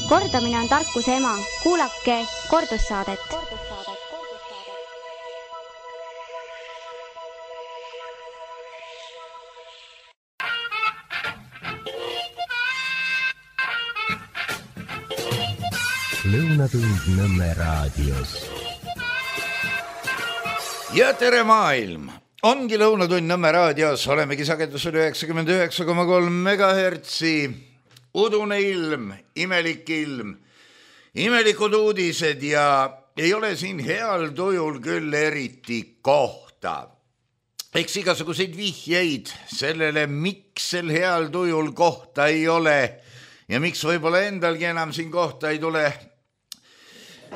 Kordamine on tarkuse ema. Kuulake kordussaadet. Lõunatund Nõmme raadios. Ja tere maailm! Ongi Lõunatund Nõmme raadios. Olemegi sagedusel 99,3 megahertsi. Udune ilm, imelik ilm, imelikud uudised ja ei ole siin heal tujul küll eriti kohta. Eks igasuguseid vihjeid sellele, miks sel heal tujul kohta ei ole ja miks võib-olla endalgi enam siin kohta ei tule.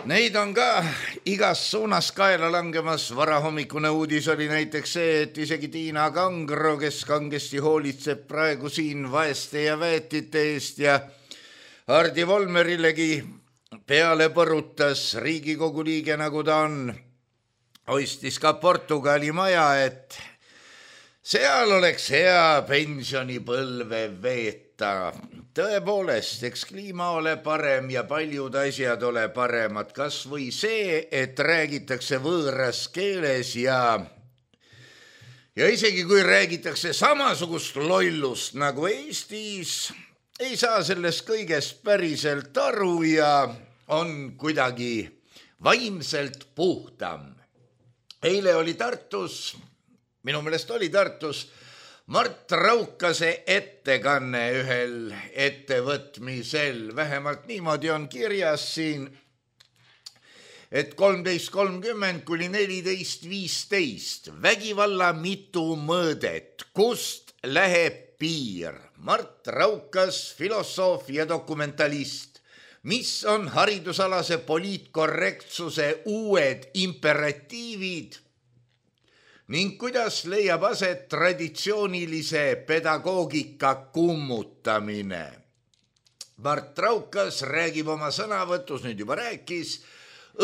Neid on ka igas suunas kaela langemas. Varahommikune uudis oli näiteks see, et isegi Tiina Kangro, kes kangesti hoolitseb praegu siin vaeste ja väetite eest ja Hardi Volmerilegi peale põrutas Riigikogu liige, nagu ta on, ostis ka Portugali maja, et seal oleks hea pensionipõlve veeta. Tõepoolest, eks kliima ole parem ja paljud asjad ole paremad, kas või see, et räägitakse võõras keeles ja isegi kui räägitakse samasugust lollust nagu Eestis, ei saa sellest kõigest päriselt aru ja on kuidagi vaimselt puhtam. Eile oli Tartus, minu meelest oli Tartus, Mart Raukase ettekanne ühel ettevõtmisel. Vähemalt niimoodi on kirjas siin, et 13.30 kuni 14.15. Vägivalla mitu mõõdet, kust läheb piir? Mart Raukas, filosoof ja dokumentalist. Mis on haridusalase poliitkorrektsuse uued imperatiivid? Ning kuidas leiab aset traditsioonilise pedagoogika kummutamine? Mart Raukas räägib oma sõnavõtus, nüüd juba rääkis,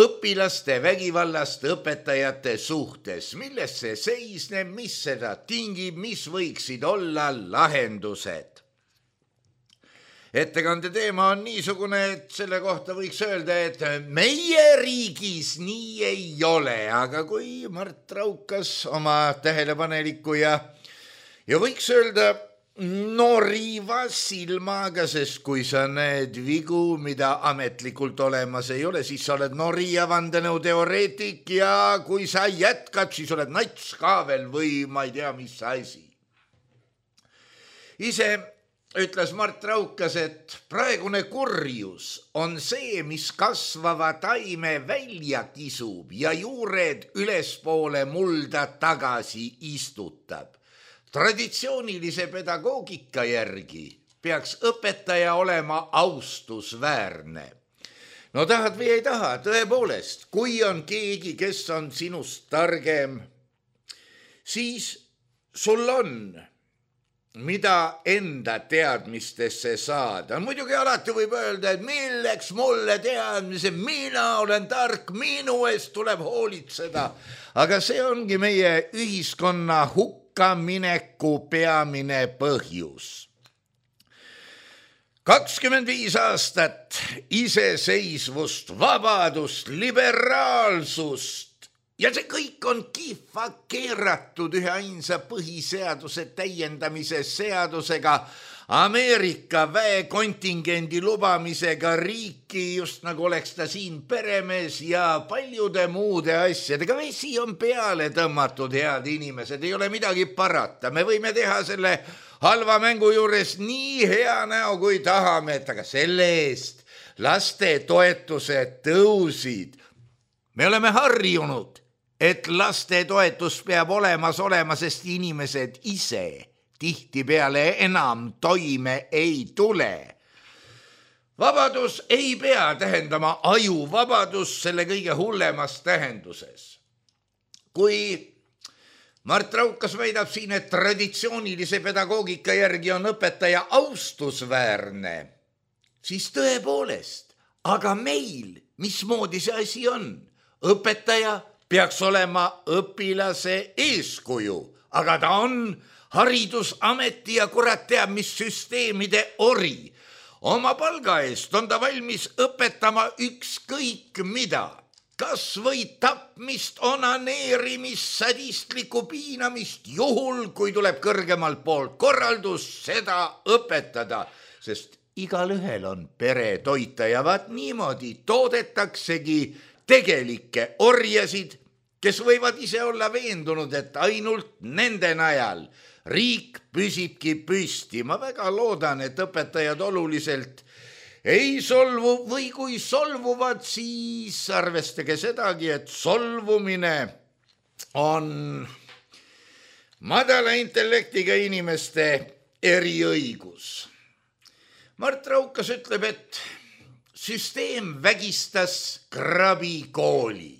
õpilaste vägivallast õpetajate suhtes. Milles see seisneb, mis seda tingib, mis võiksid olla lahendused? Ettekande teema on niisugune, et selle kohta võiks öelda, et meie riigis nii ei ole, aga kui Mart Raukas oma tähelepaneliku ja võiks öelda noriva silmaga, sest kui sa näed vigu, mida ametlikult olemas ei ole, siis sa oled nori ja vandenõuteoreetik ja kui sa jätkad, siis oled nats ka veel või ma ei tea, mis asi. Ise ütles Mart Raukas, et praegune kurjus on see, mis kasvava taime välja kisub ja juured ülespoole mulda tagasi istutab. Traditsioonilise pedagoogika järgi peaks õpetaja olema austusväärne. No tahad või ei taha, tõepoolest, kui on keegi, kes on sinust targem, siis sul on mida enda teadmistesse saada. Muidugi alati võib öelda, et milleks mulle teadmise, mina olen tark, minu eest tuleb hoolitseda. Aga see ongi meie ühiskonna hukkamineku peamine põhjus. 25 aastat iseseisvust, vabadust, liberaalsust, ja see kõik on kihva keeratud ühe ainsa põhiseaduse täiendamise seadusega, Ameerika väekontingendi lubamisega riiki, just nagu oleks ta siin peremees ja paljude muude asjadega. Vesi on peale tõmmatud, head inimesed, ei ole midagi parata. Me võime teha selle halva mängu juures nii hea näo, kui tahame, et aga selle eest laste toetused tõusid. Me oleme harjunud, et laste toetus peab olemas olema, sest inimesed ise tihtipeale enam toime ei tule. Vabadus ei pea tähendama ajuvabadus selle kõige hullemas tähenduses. Kui Mart Raukas väidab siin, et traditsioonilise pedagoogika järgi on õpetaja austusväärne, siis tõepoolest, aga meil, mismoodi see asi on? Õpetaja peaks olema õpilase eeskuju, aga ta on haridusameti ja kurat teab, mis süsteemide ori. Oma palga eest on ta valmis õpetama ükskõik mida. Kas või tapmist, onaneerimist, sadistlikku piinamist, juhul kui tuleb kõrgemalt poolt korraldus seda õpetada, sest igalühel on pere toita ja vaat niimoodi toodetaksegi tegelikke orjasid, kes võivad ise olla veendunud, et ainult nende najal riik püsibki püsti. Ma väga loodan, et õpetajad oluliselt ei solvu või kui solvuvad, siis arvestage sedagi, et solvumine on madala intellektiga inimeste eriõigus. Mart Raukas ütleb, et süsteem vägistas Krabi kooli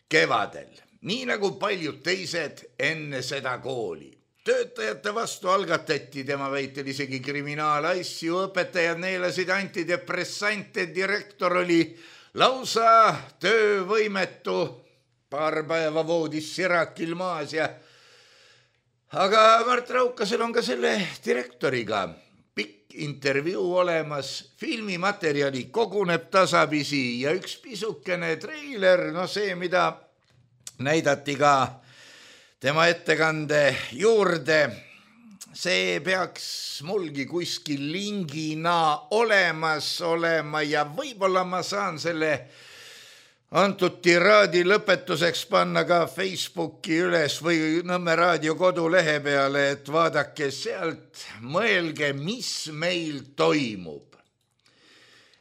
kevadel, nii nagu paljud teised enne seda kooli. Töötajate vastu algatati tema väitel isegi kriminaalasju, õpetajad neelasid antidepressante, direktor oli lausa töövõimetu, paar päeva voodis sirakil maas ja... Aga Mart Raukasel on ka selle direktoriga pikk intervjuu olemas, filmimaterjali koguneb tasapisi ja üks pisukene treiler, see, mida näidati ka tema ettekande juurde, see peaks mulgi kuskil lingina olemas olema ja võib-olla ma saan selle antud tiraadi lõpetuseks panna ka Facebooki üles või Nõmme raadio kodulehe peale, et vaadake sealt, mõelge, mis meil toimub.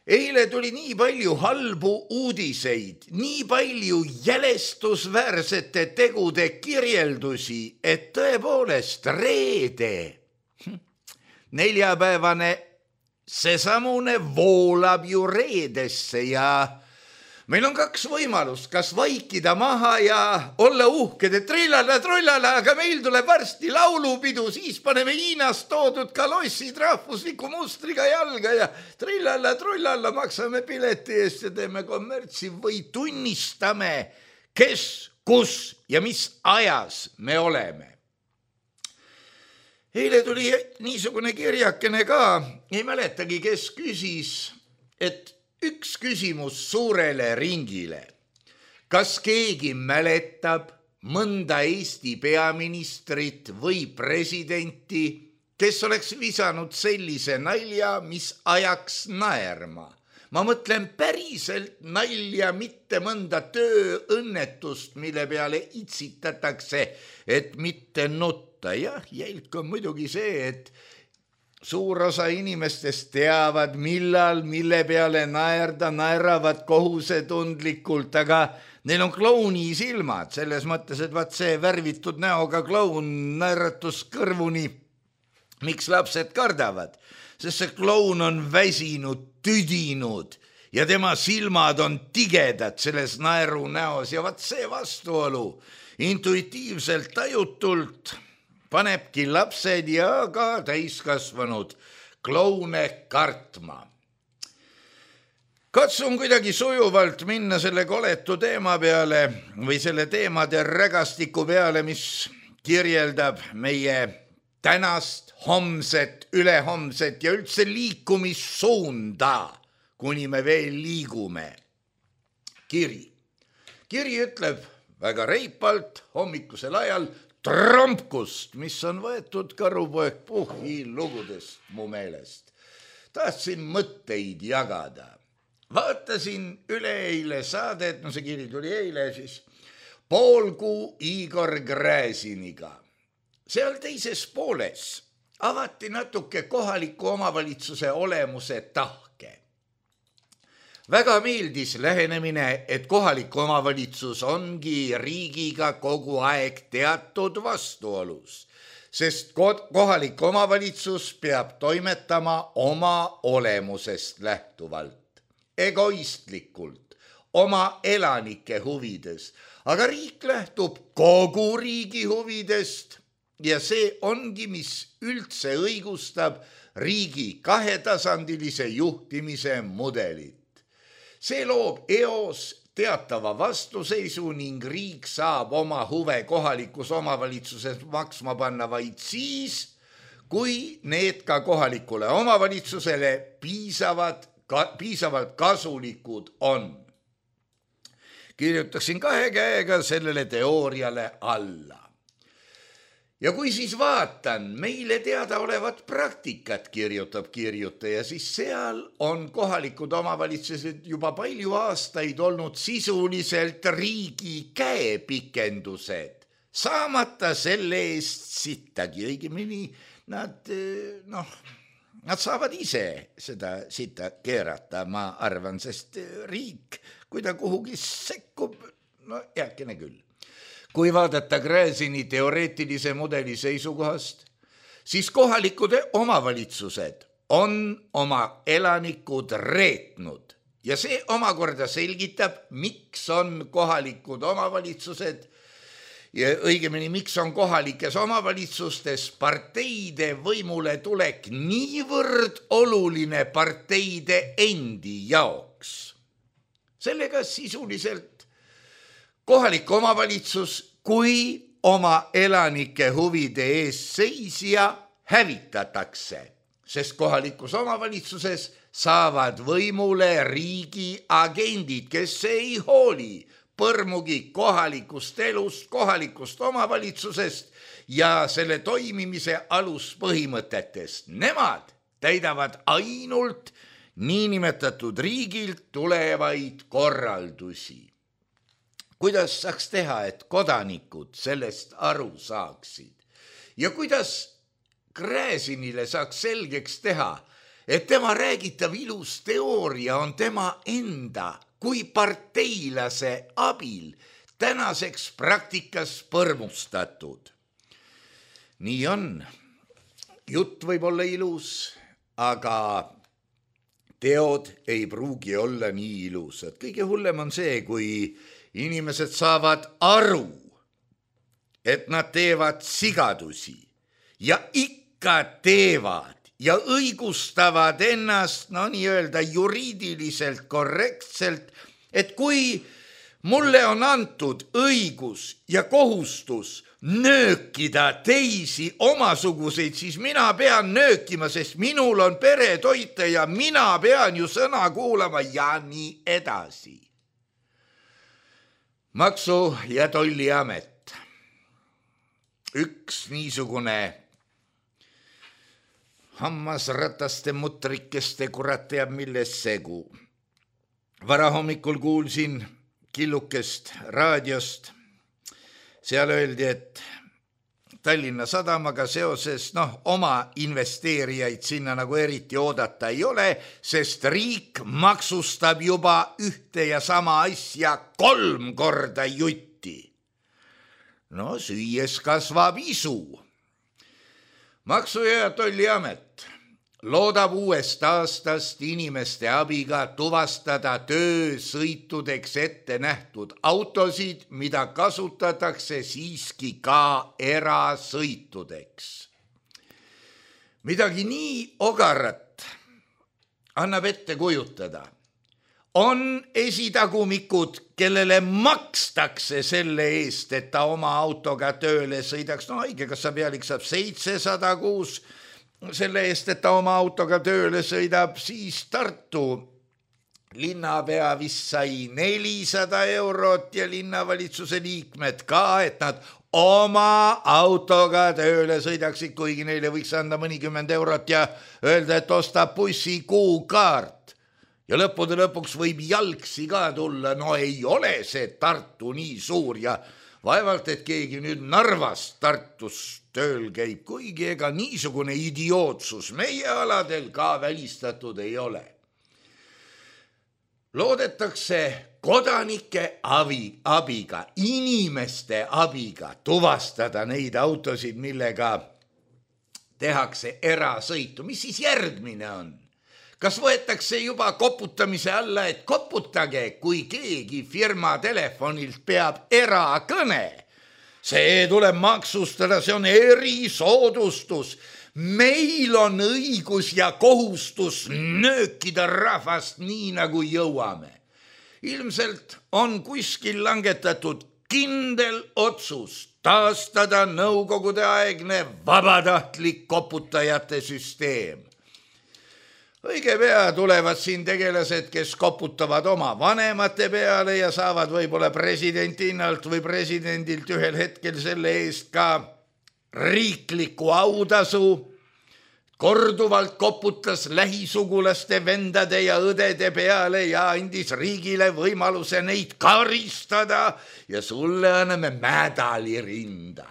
Eile tuli nii palju halbu uudiseid, nii palju jälestusväärsete tegude kirjeldusi, et tõepoolest reede, neljapäevane seesamune voolab ju reedesse ja meil on kaks võimalust, kas vaikida maha ja olla uhked, et trillala, aga meil tuleb varsti laulupidu, siis paneme Hiinast toodud kalossid rahvusliku mustriga jalga ja trillala, maksame pileti eest ja teeme kommertsi või tunnistame, kes, kus ja mis ajas me oleme. Eile tuli niisugune kirjakene ka, ei mäletagi, kes küsis, et üks küsimus suurele ringile. Kas keegi mäletab mõnda Eesti peaministrit või presidenti, kes oleks visanud sellise nalja, mis ajaks naerma? Ma mõtlen päriselt nalja, mitte mõnda tööõnnetust, mille peale itsitatakse, et mitte nutta. Jah, jälk on muidugi see, et suur osa inimestest teavad, millal, mille peale naerda, naeravad kohusetundlikult, aga neil on klouni silmad, selles mõttes, et vaat see värvitud näoga kloun naeratus kõrvuni. Miks lapsed kardavad? Sest see kloun on väsinud, tüdinud ja tema silmad on tigedad selles naeru näos ja vaat see vastuolu intuitiivselt tajutult panebki lapsed ja ka täiskasvanud kloune kartma. Katsun kuidagi sujuvalt minna selle koletu teema peale või selle teemade rägastiku peale, mis kirjeldab meie tänast, homset, ülehomset ja üldse liikumissuunda, kuni me veel liigume. Kiri ütleb väga reipalt hommikusel ajal Trompkust, mis on võetud Karupoeg Puhhi lugudest mu meelest. Tahtsin mõtteid jagada. Vaatasin üleeile saadet, see kiri tuli eile, siis Poolkuu Igor Gräziniga. Seal teises pooles avati natuke kohaliku omavalitsuse olemuse tahke. Väga meeldis lähenemine, et kohalik omavalitsus ongi riigiga kogu aeg teatud vastuolus, sest kohalik omavalitsus peab toimetama oma olemusest lähtuvalt, egoistlikult, oma elanike huvides, aga riik lähtub kogu riigi huvidest ja see ongi, mis üldse õigustab riigi kahetasandilise juhtimise mudelit. See loob eos teatava vastuseisu ning riik saab oma huve kohalikus omavalitsuses maksma panna vaid siis, kui need ka kohalikule omavalitsusele piisavalt kasulikud on. Kirjutaksin 2 käega sellele teooriale alla. Ja kui siis vaatan meile teada olevat praktikat, kirjutab kirjutaja, siis seal on kohalikud omavalitsused juba palju aastaid olnud sisuliselt riigi käepikendused, saamata selle eest sittagi, õigemini nad saavad ise seda sitta keerata, ma arvan, sest riik, kui ta kuhugi sekkub, heakene küll. Kui vaadata Gräzini teoreetilise mudeli seisukohast, siis kohalikud omavalitsused on oma elanikud reetnud ja see omakorda selgitab, miks on kohalikud omavalitsused ja õigemini, miks on kohalikes omavalitsustes parteide võimule tulek niivõrd oluline parteide endi jaoks. Sellega sisuliselt kohalik omavalitsus kui oma elanike huvide eest seisja hävitatakse, sest kohalikus omavalitsuses saavad võimule riigi agendid, kes ei hooli põrmugi kohalikust elust, kohalikust omavalitsusest ja selle toimimise aluspõhimõtetest. Nemad täidavad ainult niinimetatud riigilt tulevaid korraldusi. Kuidas saaks teha, et kodanikud sellest aru saaksid? Ja kuidas Gräzinile saaks selgeks teha, et tema räägitav ilus teooria on tema enda kui parteilase abil tänaseks praktikas põrmustatud? Nii on. Jutt võib olla ilus, aga teod ei pruugi olla nii ilusad. Kõige hullem on see, kui inimesed saavad aru, et nad teevad sigadusi ja ikka teevad ja õigustavad ennast, nii-öelda juriidiliselt korrektselt, et kui mulle on antud õigus ja kohustus nöökida teisi omasuguseid, siis mina pean nöökima, sest minul on pere toita ja mina pean ju sõna kuulama ja nii edasi. Maksu- ja Tolliamet. Üks niisugune hammasrataste mutrikeste kurat teab milles segu. Varahommikul kuulsin killukest raadiost. Seal öeldi, et Tallinna Sadamaga seoses oma investeerijaid sinna nagu eriti oodata ei ole, sest riik maksustab juba ühte ja sama asja 3 korda jutti. Süües kasvab isu. Maksu- ja Tolliamet loodab uuest aastast inimeste abiga tuvastada töösõitudeks ette nähtud autosid, mida kasutatakse siiski ka erasõitudeks. Midagi nii ogarat annab ette kujutada. On esitagumikud, kellele makstakse selle eest, et ta oma autoga tööle sõidaks. Haigekassa pealik saab 706 selle eest, et ta oma autoga tööle sõidab, siis Tartu linnapea vist sai 400 eurot ja linnavalitsuse liikmed ka, et nad oma autoga tööle sõidaksid, kuigi neile võiks anda mõnikümmend eurot ja öelda, et ostab bussi kuukaart. Ja lõppude lõpuks võib jalgsi ka tulla, ei ole see Tartu nii suur ja vaevalt, et keegi nüüd Narvast Tartus tööl käib, kuigi ega niisugune idiootsus meie aladel ka välistatud ei ole. Loodetakse kodanike abiga, inimeste abiga tuvastada neid autosid, millega tehakse erasõitu. Mis siis järgmine on? Kas võetakse juba koputamise alla, et koputage, kui keegi firma telefonilt peab erakõne? See tuleb maksustada, see on erisoodustus. Meil on õigus ja kohustus nöökida rahvast nii, nagu jõuame. Ilmselt on kuskil langetatud kindel otsus taastada nõukogude aegne vabatahtlik koputajate süsteem. Õige pea tulevad siin tegelased, kes koputavad oma vanemate peale ja saavad võib-olla presidendinnalt või presidendilt ühel hetkel selle eest ka riikliku autasu. Korduvalt koputas lähisugulaste vendade ja õdede peale ja andis riigile võimaluse neid karistada ja sulle anname medali rinda.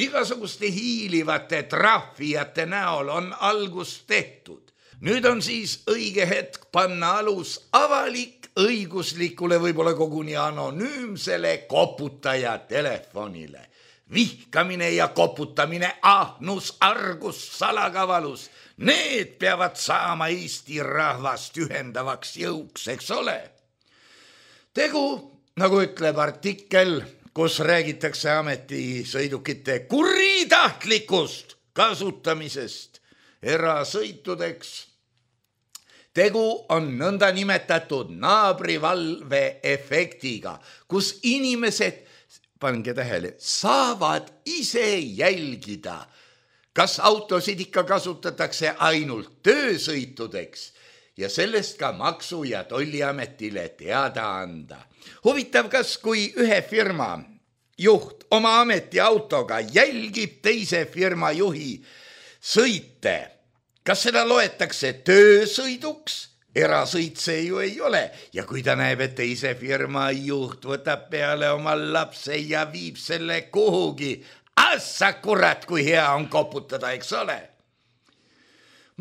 Igasuguste hiilivate trahvijate näol on algus tehtud. Nüüd on siis õige hetk panna alus avalik õiguslikule võib-olla koguni anonüümsele koputaja telefonile. Vihkamine ja koputamine, ahnus, argus, salakavalus, need peavad saama Eesti rahvast ühendavaks jõuks, eks ole. Tegu, nagu ütleb artikkel, kus räägitakse ametisõidukite kuritahtlikust kasutamisest erasõitudeks. Tegu on nõnda nimetatud naabrivalve efektiga, kus inimesed, pange tähele, saavad ise jälgida, kas autosid ikka kasutatakse ainult töösõitudeks ja sellest ka Maksu- ja Tolliametile teada anda. Huvitav, kas kui ühe firma juht oma ametiautoga jälgib teise firma juhi sõite, kas seda loetakse töösõiduks? Erasõit see ju ei ole ja kui ta näeb, et teise firma juht võtab peale oma lapse ja viib selle kuhugi, assa kurat, kui hea on koputada, eks ole.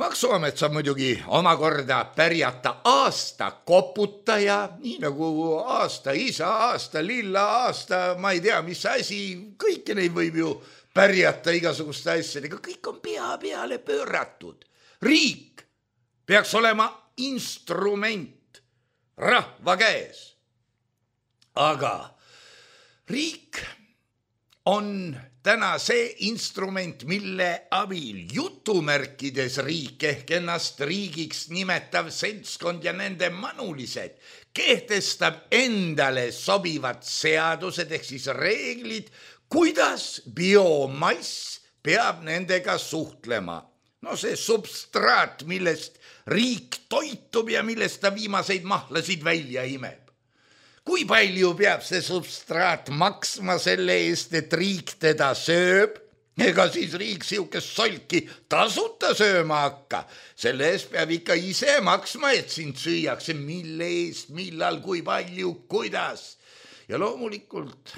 Maksuamet saab muidugi omakorda pärjata aasta koputaja, nii nagu aasta isa, aasta lilla, aasta, ma ei tea, mis asi, kõike neid võib ju pärjata igasuguste asjadega, kõik on pea peale pööratud. Riik peaks olema instrument rahva käes. Aga riik on täna see instrument, mille abil jutumärkides riik ehk ennast riigiks nimetav seltskond ja nende manulised kehtestab endale sobivad seadused ehk siis reeglid, kuidas biomass peab nendega suhtlema. No see substraat, millest riik toitub ja millest ta viimaseid mahlasid välja imeb. Kui palju peab see substraat maksma selle eest, et riik teda sööb? Ega siis riik siukest solki tasuta sööma hakka. Selle eest peab ikka ise maksma, et sind süüakse, mille eest, millal, kui palju, kuidas. Ja loomulikult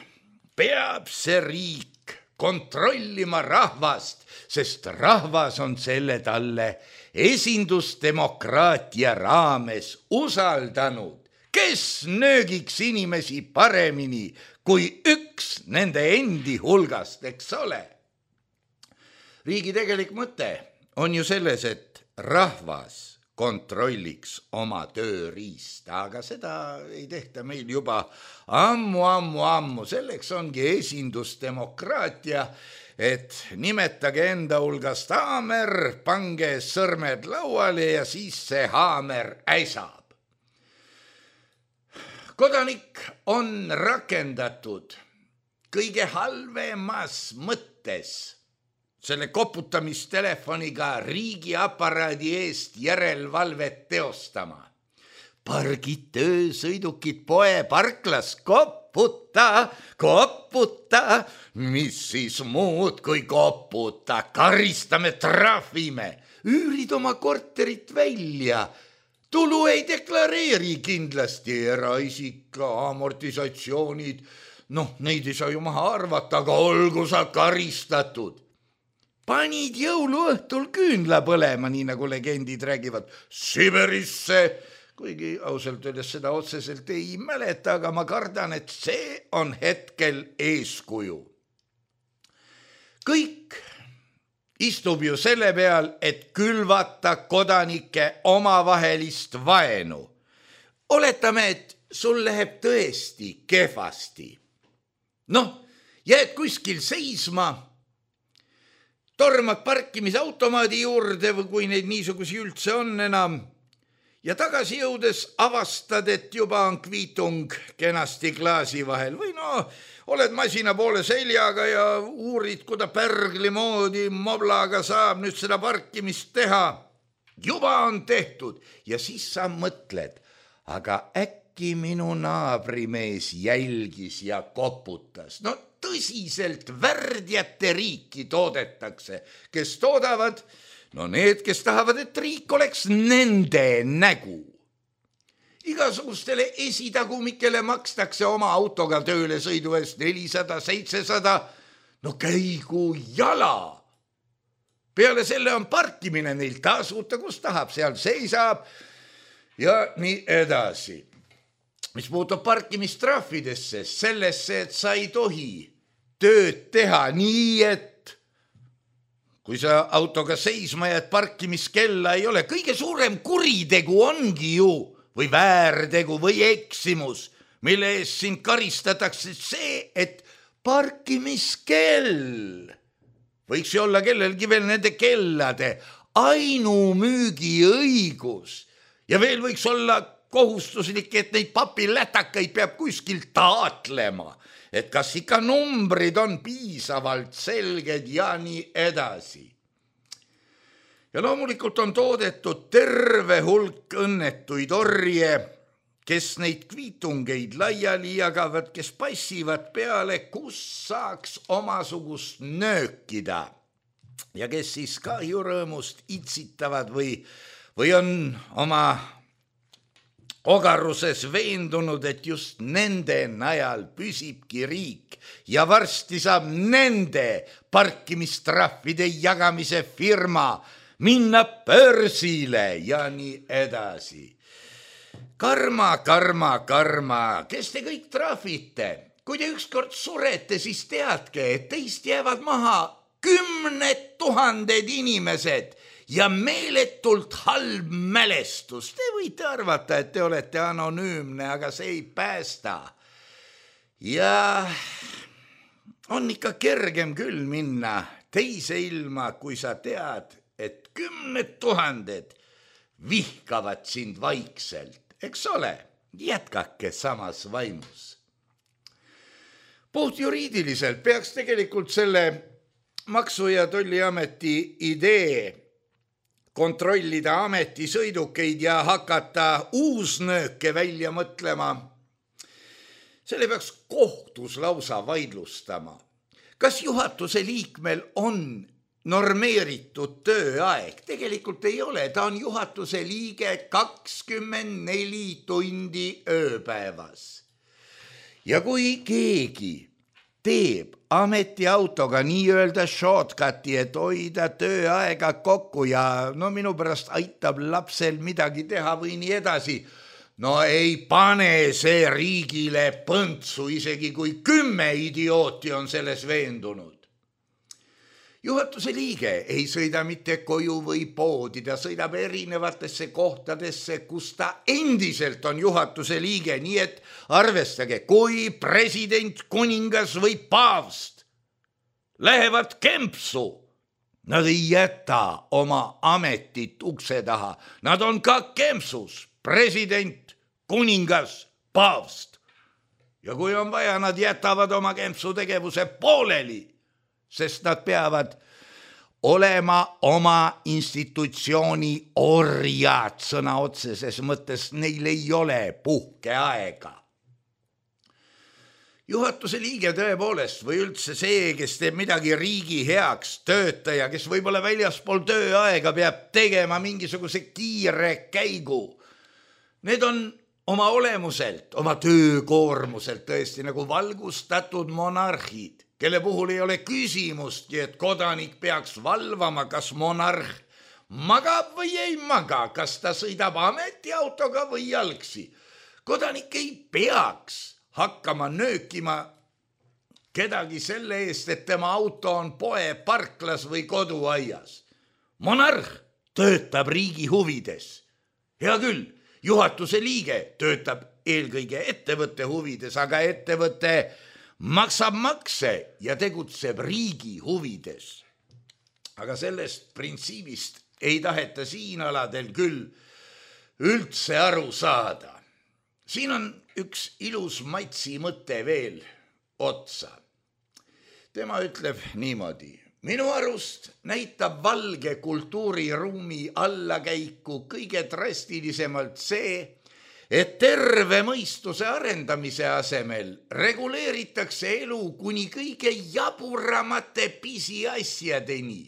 peab see riik kontrollima rahvast, sest rahvas on selle talle esindusdemokraatia raames usaldanud, kes nöögiks inimesi paremini kui üks nende endi hulgast, eks ole. Riigi tegelik mõte on ju selles, et rahvas kontrolliks oma tööriista, aga seda ei tehta meil juba ammu. Selleks ongi esindusdemokraatia, et nimetage enda hulgast haamer, pange sõrmed lauale ja siis see haamer äisab. Kodanik on rakendatud kõige halvemas mõttes selle koputamisteleefoniga riigiaparaadi eest järelevalvet teostama. Pargid töösõidukid poe parklas, koputa, mis siis muud kui koputa, karistame, trahvime, üürid oma korterit välja, tulu ei deklareeri kindlasti, eraisik, amortisatsioonid, neid ei saa ju maha arvata, aga olgu sa karistatud. Panid jõuluõhtul küünla põlema, nii nagu legendid räägivad, Siberisse, kuigi ausalt öeldes seda otseselt ei mäleta, aga ma kardan, et see on hetkel eeskuju. Kõik istub ju selle peal, et külvata kodanike omavahelist vaenu. Oletame, et sul läheb tõesti kehvasti. Jääd kuskil seisma, tormad parkimisautomaadi juurde või kui neid niisugusi üldse on enam ja tagasi jõudes avastad, et juba on kviitung kenasti klaasi vahel või oled masina poole seljaga ja uurid, kuida pärgli moodi moblaga saab nüüd seda parkimist teha. Juba on tehtud ja siis sa mõtled, aga äkki minu naabrimees jälgis ja koputas. No tõsiselt värdjate riiki toodetakse, kes toodavad, no need, kes tahavad, et riik oleks nende nägu. Igasugustele esitagumikele makstakse oma autoga tööle sõidu eest 400, 700, no käigu jala. Peale selle on parkimine neil tasuta, kus tahab, seal seisab ja nii edasi. Mis puutub parkimistrahvidesse, sellesse, et sa ei tohi tööd teha nii, et kui sa autoga seisma jääd, parkimiskella ei ole. Kõige suurem kuritegu ongi ju või väärtegu või eksimus, mille eest sind karistatakse see, et parkimiskell võiks ju olla kellelgi veel nende kellade ainumüügiõigus ja veel võiks olla kohustuslik, et neid papilätakaid peab kuskilt taatlema, et kas ikka numbrid on piisavalt selged ja nii edasi. Ja loomulikult on toodetud terve hulk õnnetuid orje, kes neid kviitungeid laiali jagavad, kes passivad peale, kus saaks omasugust nöökida ja kes siis kahjurõõmust itsitavad või on oma ogaruses veendunud, et just nende najal püsibki riik ja varsti saab nende parkimistrahvide jagamise firma minna börsile ja nii edasi. Karma, kes te kõik trahvite? Kui te ükskord surete, siis teadke, et teist jäävad maha 10 000 inimesed ja meeletult halb mälestus. Te võite arvata, et te olete anonüümne, aga see ei päästa. Ja on ikka kergem küll minna teise ilma, kui sa tead, et 10 000 vihkavad sind vaikselt. Eks ole, jätkake samas vaimus. Puht juriidiliselt peaks tegelikult selle Maksu- ja Tolliameti idee kontrollida ametisõidukeid ja hakata uusnööke välja mõtlema. Selle peaks kohtus lausa vaidlustama. Kas juhatuse liikmel on normeeritud tööaeg? Tegelikult ei ole, ta on juhatuse liige 24 tundi ööpäevas. Ja kui keegi teeb ametiautoga nii-öelda shortcuti, et hoida tööaega kokku ja no minu pärast aitab lapsel midagi teha või nii edasi, no ei pane see riigile põntsu, isegi kui 10 idiooti on selles veendunud. Juhatuse liige ei sõida mitte koju või poodi, ta sõidab erinevatesse kohtadesse, kus ta endiselt on juhatuse liige, nii et arvestage, kui president, kuningas või paavst lähevad kempsu, nad ei jäta oma ametit ukse taha, nad on ka kempsus, president, kuningas, paavst. Ja kui on vaja, nad jätavad oma kempsu tegevuse pooleli, sest nad peavad olema oma institutsiooni orjad sõna otseses mõttes, neil ei ole puhkeaega. Juhatuse liige tõepoolest või üldse see, kes teeb midagi riigi heaks, töötaja, kes võib-olla väljaspool tööaega peab tegema mingisuguse kiire käigu. Need on oma olemuselt, oma töökoormuselt tõesti nagu valgustatud monarhid, kelle puhul ei ole küsimustki, et kodanik peaks valvama, kas monarh magab või ei maga, kas ta sõidab ametiautoga või jalgsi. Kodanik ei peaks hakkama nöökima kedagi selle eest, et tema auto on poe parklas või koduaias. Monarh töötab riigi huvides. Hea küll, juhatuse liige töötab eelkõige ettevõtte huvides, aga ettevõtte maksab makse ja tegutseb riigi huvides. Aga sellest printsiibist ei taheta siin aladel küll üldse aru saada. Siin on üks ilus matsi mõte veel. otsa. Tema ütleb niimoodi. Minu arust näitab valge kultuuriruumi allakäiku kõige drastilisemalt see, et terve mõistuse arendamise asemel reguleeritakse elu kuni kõige jaburamate pisiasjadeni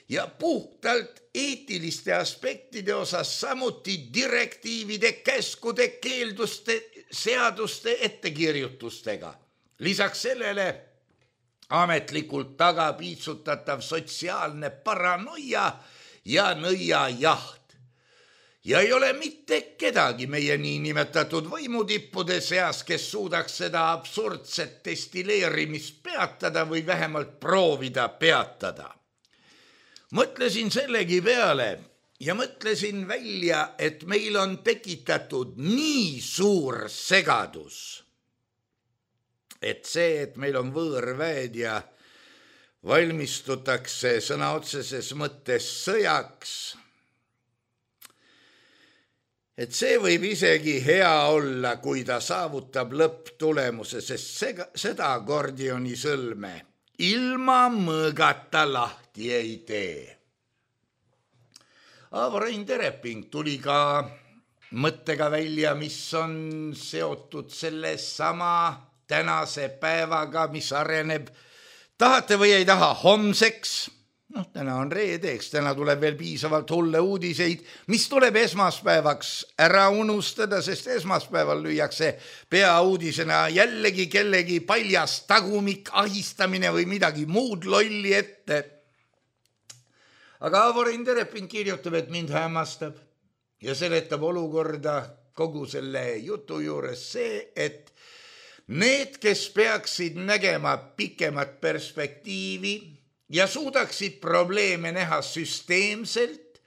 ja puhtalt eetiliste aspektide osas samuti direktiivide, käskude, keelduste, seaduste ettekirjutustega. Lisaks sellele ametlikult tagapiitsutatav sotsiaalne paranoia ja nõiajaht. Ja ei ole mitte kedagi meie niinimetatud võimutippude seas, kes suudaks seda absurdset destilleerimist peatada või vähemalt proovida peatada. Mõtlesin sellegi peale ja mõtlesin välja, et meil on tekitatud nii suur segadus, et see, et meil on võõrväed ja valmistutakse sõna otseses mõttes sõjaks, et see võib isegi hea olla, kui ta saavutab lõpptulemuse, sest seda akordioni sõlme ilma mõõgata lahti ei tee. Aavo-Rein Tereping tuli ka mõttega välja, mis on seotud selle sama tänase päevaga, mis areneb, tahate või ei taha, homseks. Täna on reedeks, täna tuleb veel piisavalt hulle uudiseid, mis tuleb esmaspäevaks ära unustada, sest esmaspäeval lüüakse peauudisena jällegi kellegi paljas tagumik, ahistamine või midagi muud lolli ette. Aga Aavo-Rein Tereping kirjutab, et mind hämmastab ja seletab olukorda kogu selle jutu juures see, et need, kes peaksid nägema pikemat perspektiivi ja suudaksid probleeme näha süsteemselt,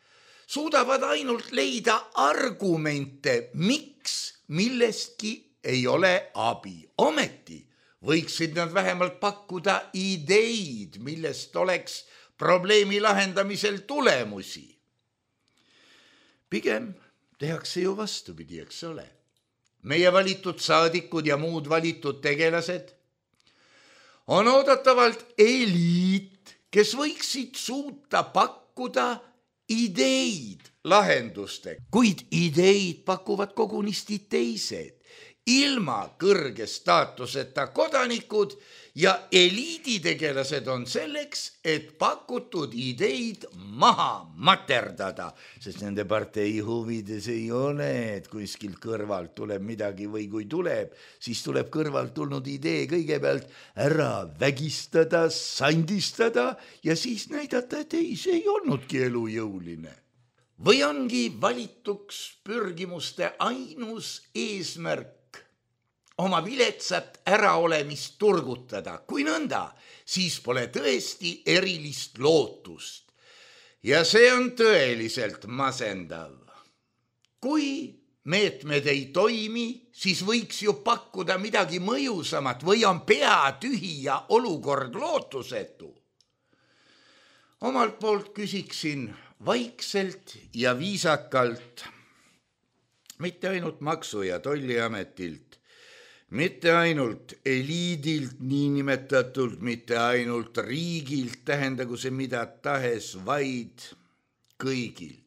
suudavad ainult leida argumente, miks millestki ei ole abi. Ometi võiksid nad vähemalt pakkuda ideid, millest oleks probleemi lahendamisel tulemusi. Pigem tehakse ju vastupidi, eks ole. Meie valitud saadikud ja muud valitud tegelased on oodatavalt eliit, kes võiksid suuta pakkuda ideid lahendustega, kuid ideid pakuvad kogunisti teised, ilma kõrge staatuseta kodanikud ja eliiditegelased on selleks, et pakutud ideid maha materdada, sest nende partei huvides ei ole, et kuskilt kõrvalt tuleb midagi või kui tuleb, siis tuleb kõrvalt tulnud idee kõigepealt ära vägistada, sandistada ja siis näidata, et ei, see ei olnudki elujõuline. Või ongi valituks pürgimuste ainus eesmärk oma viletsat äraolemist turgutada. Kui nõnda, siis pole tõesti erilist lootust. Ja see on tõeliselt masendav. Kui meetmed ei toimi, siis võiks ju pakkuda midagi mõjusamat või on pea tühi ja olukord lootusetu. Omalt poolt küsiksin vaikselt ja viisakalt, mitte ainult Maksu- ja Tolliametilt, mitte ainult eliidilt niinimetatult, mitte ainult riigilt, tähendagu see mida tahes, vaid kõigilt.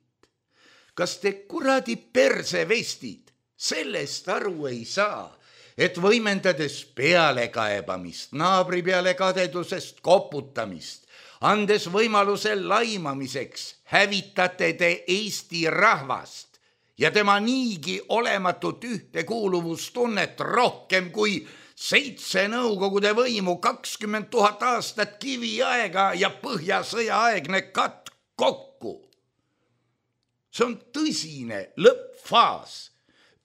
Kas te kuradi persevestid sellest aru ei saa, et võimendades pealekaebamist, naabri peale kadedusest koputamist, andes võimaluse laimamiseks, hävitate te Eesti rahvast ja tema niigi olematut ühtekuuluvustunnet rohkem kui 7 nõukogude võimu, 20 000 aastat kiviaega ja põhjasõjaaegne katk kokku. See on tõsine lõppfaas,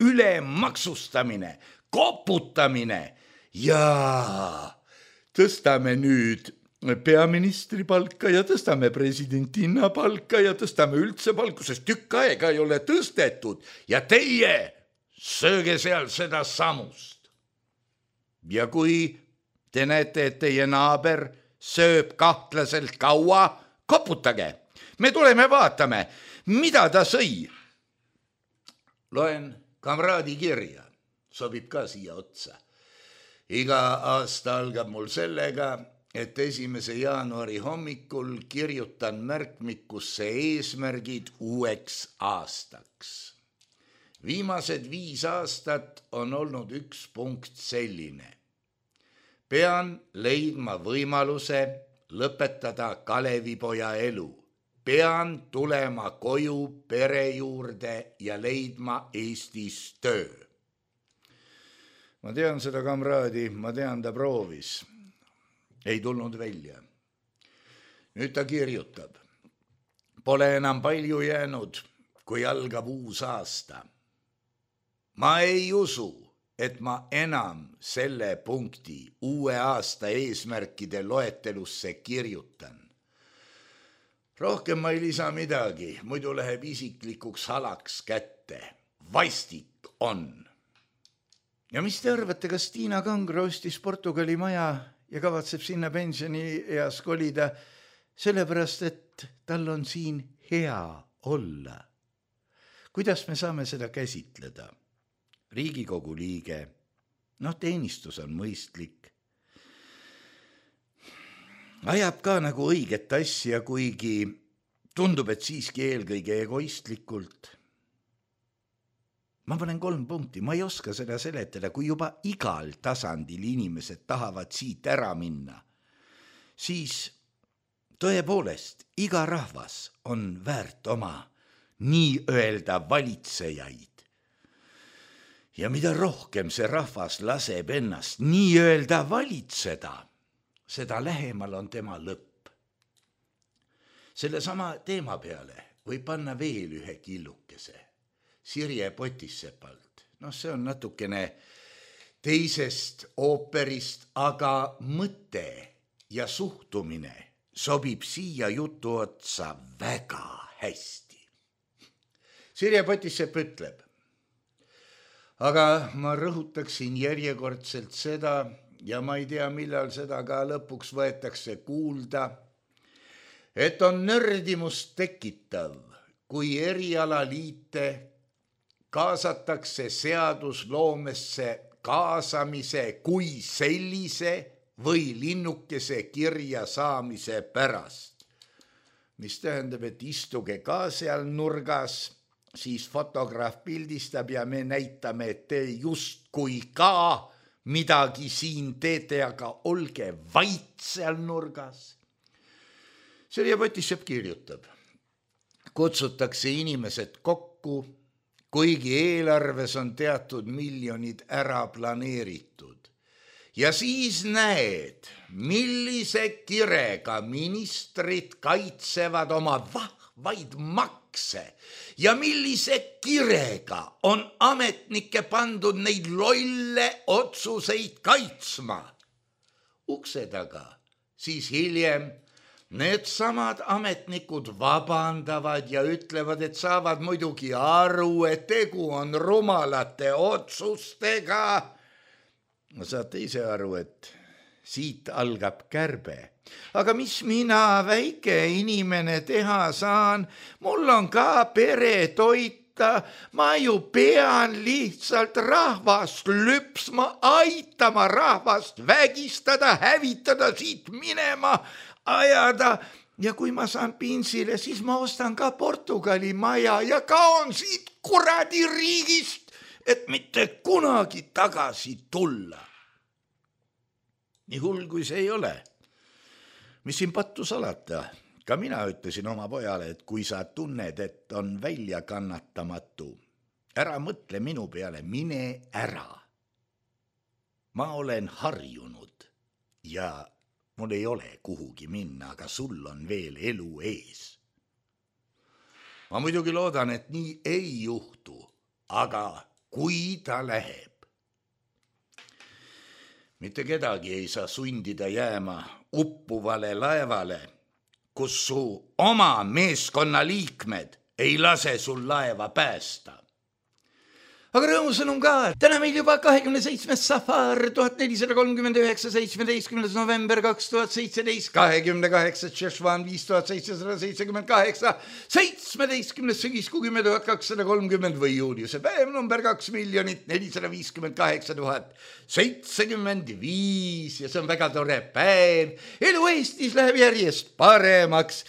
ülemaksustamine, koputamine ja tõstame nüüd peaministri palka ja tõstame presidentinna palka ja tõstame üldse palku, sest tükk aega ei ole tõstetud ja teie sööge seal seda samust. Ja kui te näete, et teie naaber sööb kahtlaselt kaua, koputage. Me tuleme vaatame, mida ta sõi. Loen kamraadi kirja, sobib ka siia otsa. Iga aasta algab mul sellega, et 1. jaanuari hommikul kirjutan märkmikusse eesmärgid uueks aastaks. Viimased 5 aastat on olnud üks punkt selline. Pean leidma võimaluse lõpetada Kalevipoja elu. Pean tulema koju pere juurde ja leidma Eestis töö. Ma tean seda kamraadi, ma tean, ta proovis. Ei tulnud välja. Nüüd ta kirjutab. Pole enam palju jäänud, kui algab uus aasta. Ma ei usu, et ma enam selle punkti uue aasta eesmärkide loetelusse kirjutan. Rohkem ma ei lisa midagi, muidu läheb isiklikuks halaks kätte. Vastik on. Ja mis te arvate, kas Tiina Kangro ostis Portugali maja ja kavatseb sinna pensioni eas kolida, sellepärast, et tal on siin hea olla? Kuidas me saame seda käsitleda? Riigikogu liige, teenistus on mõistlik. Ajab ka nagu õiget asja, kuigi tundub, et siiski eelkõige egoistlikult. Ma panen 3 punkti, ma ei oska seda seletada, kui juba igal tasandil inimesed tahavad siit ära minna. Siis tõepoolest, iga rahvas on väärt oma nii öelda valitsejaid. Ja mida rohkem see rahvas laseb ennast nii öelda valitseda, seda lähemal on tema lõpp. Selle sama teema peale võib panna veel ühe killukese. Sirje Potissepalt. See on natukene teisest ooperist, aga mõte ja suhtumine sobib siia jutu otsa väga hästi. Sirje Potissepp ütleb, aga ma rõhutaksin järjekordselt seda, ja ma ei tea, millal seda ka lõpuks võetakse kuulda, et on nördimust tekitav, kui erialaliite kaasatakse seadusloomesse kaasamise kui sellise või linnukese kirja saamise pärast. Mis tähendab, et istuge ka seal nurgas, siis fotograaf pildistab ja me näitame, et te justkui ka midagi siin teete, aga olge vait seal nurgas. Sirje Potissepp kirjutab, kutsutakse inimesed kokku, kuigi eelarves on teatud miljonid ära planeeritud. Ja siis näed, millise kirega ministrid kaitsevad oma vahvaid makse ja millise kirega on ametnikke pandud neid lolle otsuseid kaitsma. Ukse taga, siis hiljem need samad ametnikud vabandavad ja ütlevad, et saavad muidugi aru, et tegu on rumalate otsustega. Saate ise aru, et siit algab kärbe. Aga mis mina, väike inimene, teha saan? Mul on ka pere toita. Ma ju pean lihtsalt rahvast lüpsma, aitama rahvast vägistada, hävitada, siit minema ajada, ja kui ma saan pinsile, siis ma ostan ka Portugali maja ja kaon siit kuradi riigist, et mitte kunagi tagasi tulla. Nii hull kui see ei ole. Mis siin pattu salata? Ka mina ütlesin oma pojale, et kui sa tunned, et on välja kannatamatu, ära mõtle minu peale, mine ära. Ma olen harjunud ja mul ei ole kuhugi minna, aga sul on veel elu ees. Ma muidugi loodan, et nii ei juhtu, aga kui ta läheb. Mitte kedagi ei saa sundida jääma uppuvale laevale, kus su oma meeskonna liikmed ei lase sul laeva päästa. Aga rõõmusõnum ka, täna meil juba 27. safar 1439, 17. november 2017, 28. Šešvan 5778, 17. sügis 10 230 või juuliuse päev number 2 458 075 ja see on väga tore päev. Elu Eestis läheb järjest paremaks.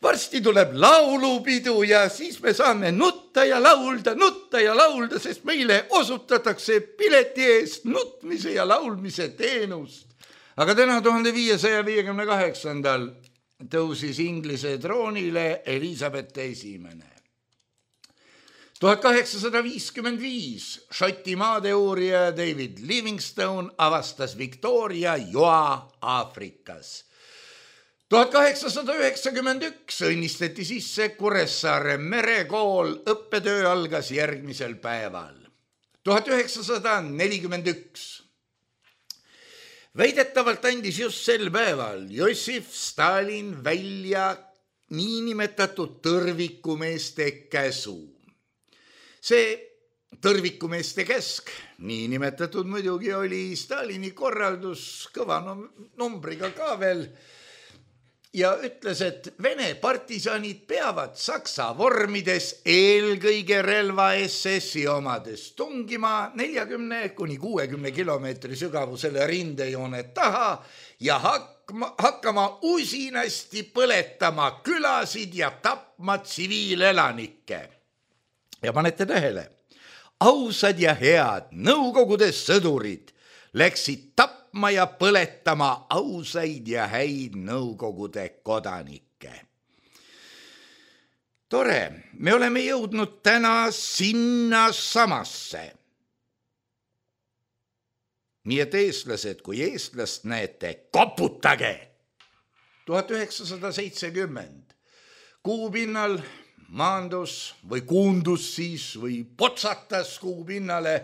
Varsti tuleb laulupidu ja siis me saame nutta ja laulda, sest meile osutatakse pileti eest nutmise ja laulmise teenust. Aga täna 1558. tõusis Inglise troonile Elizabeth I. 1855 Šoti maadeurija David Livingstone avastas Victoria joa Aafrikas. 1891 õnnistati sisse Kuressaare merekool, õppetöö algas järgmisel päeval. 1941 väidetavalt andis just sel päeval Jossif Stalin välja niinimetatud tõrvikumeeste käsu. See tõrvikumeeste käsk, niinimetatud muidugi oli Stalini korraldus kõva numbriga ka veel, ja ütles, et Vene partisanid peavad Saksa vormides eelkõige relva SS-i omades tungima 40-60 kilomeetri sügavusele rindejoone taha ja hakkama usinasti põletama külasid ja tapma tsiviilelanikke. Ja panete tähele, ausad ja head Nõukogude sõdurid läksid tapma ja põletama ausaid ja häid Nõukogude kodanikke. Tore, me oleme jõudnud täna sinna samasse. Nii et eestlased, kui eestlast näete, koputage! 1970 kuupinnal maandus või kuundus siis või potsatas kuupinnale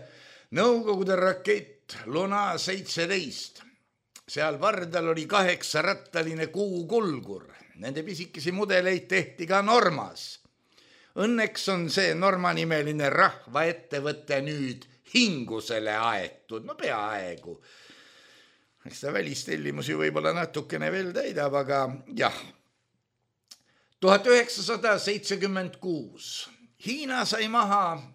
Nõukogude rakett Luna 17. Seal pardal oli 8-rattaline kuukulgur. Nende pisikesi mudeleid tehti ka Normas. Õnneks on see Norma-nimeline rahvaettevõte nüüd hingusele aetud. No peaaegu. Eks ta välistellimusi võib-olla natukene veel täidab, aga jah. 1976 Hiina sai maha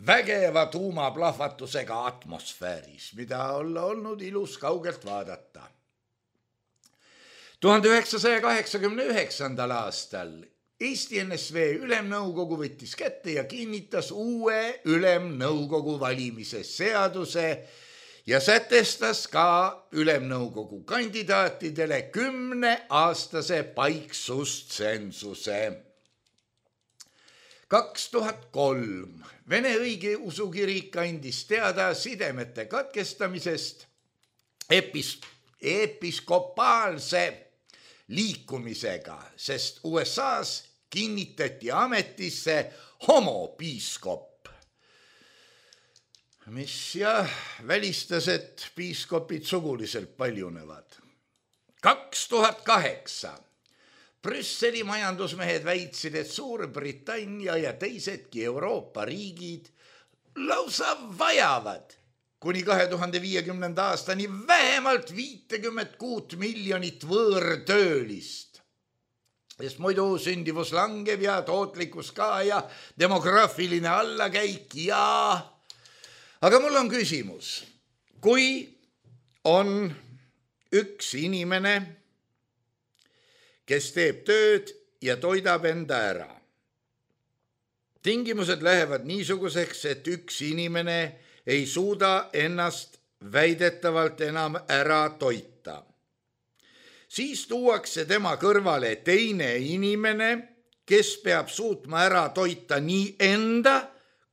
vägeva tuumaplahvatusega atmosfääris, mida olla olnud ilus kaugelt vaadata. 1989. aastal Eesti NSV Ülemnõukogu võttis kätte ja kinnitas uue Ülemnõukogu valimise seaduse ja sätestas ka Ülemnõukogu kandidaatidele 10-aastase paiksustsentsuse. 2003 Vene õigeusu kirik andis teada sidemete katkestamisest episkopaalse liikumisega, sest USA-s kinnitati ametisse homopiiskop, mis välistas, et piiskopid suguliselt paljunevad. 2008 Brüsseli majandusmehed väitsid, et Suurbritannia ja teisedki Euroopa riigid lausa vajavad kuni 2050. aastani vähemalt 56 miljonit võõrtöölist. Sest muidu sündivus langeb ja tootlikkus ka ja demograafiline allakäik ja... Aga mul on küsimus. Kui on üks inimene, kes teeb tööd ja toidab enda ära. Tingimused lähevad niisuguseks, et üks inimene ei suuda ennast väidetavalt enam ära toita. Siis tuuakse tema kõrvale teine inimene, kes peab suutma ära toita nii enda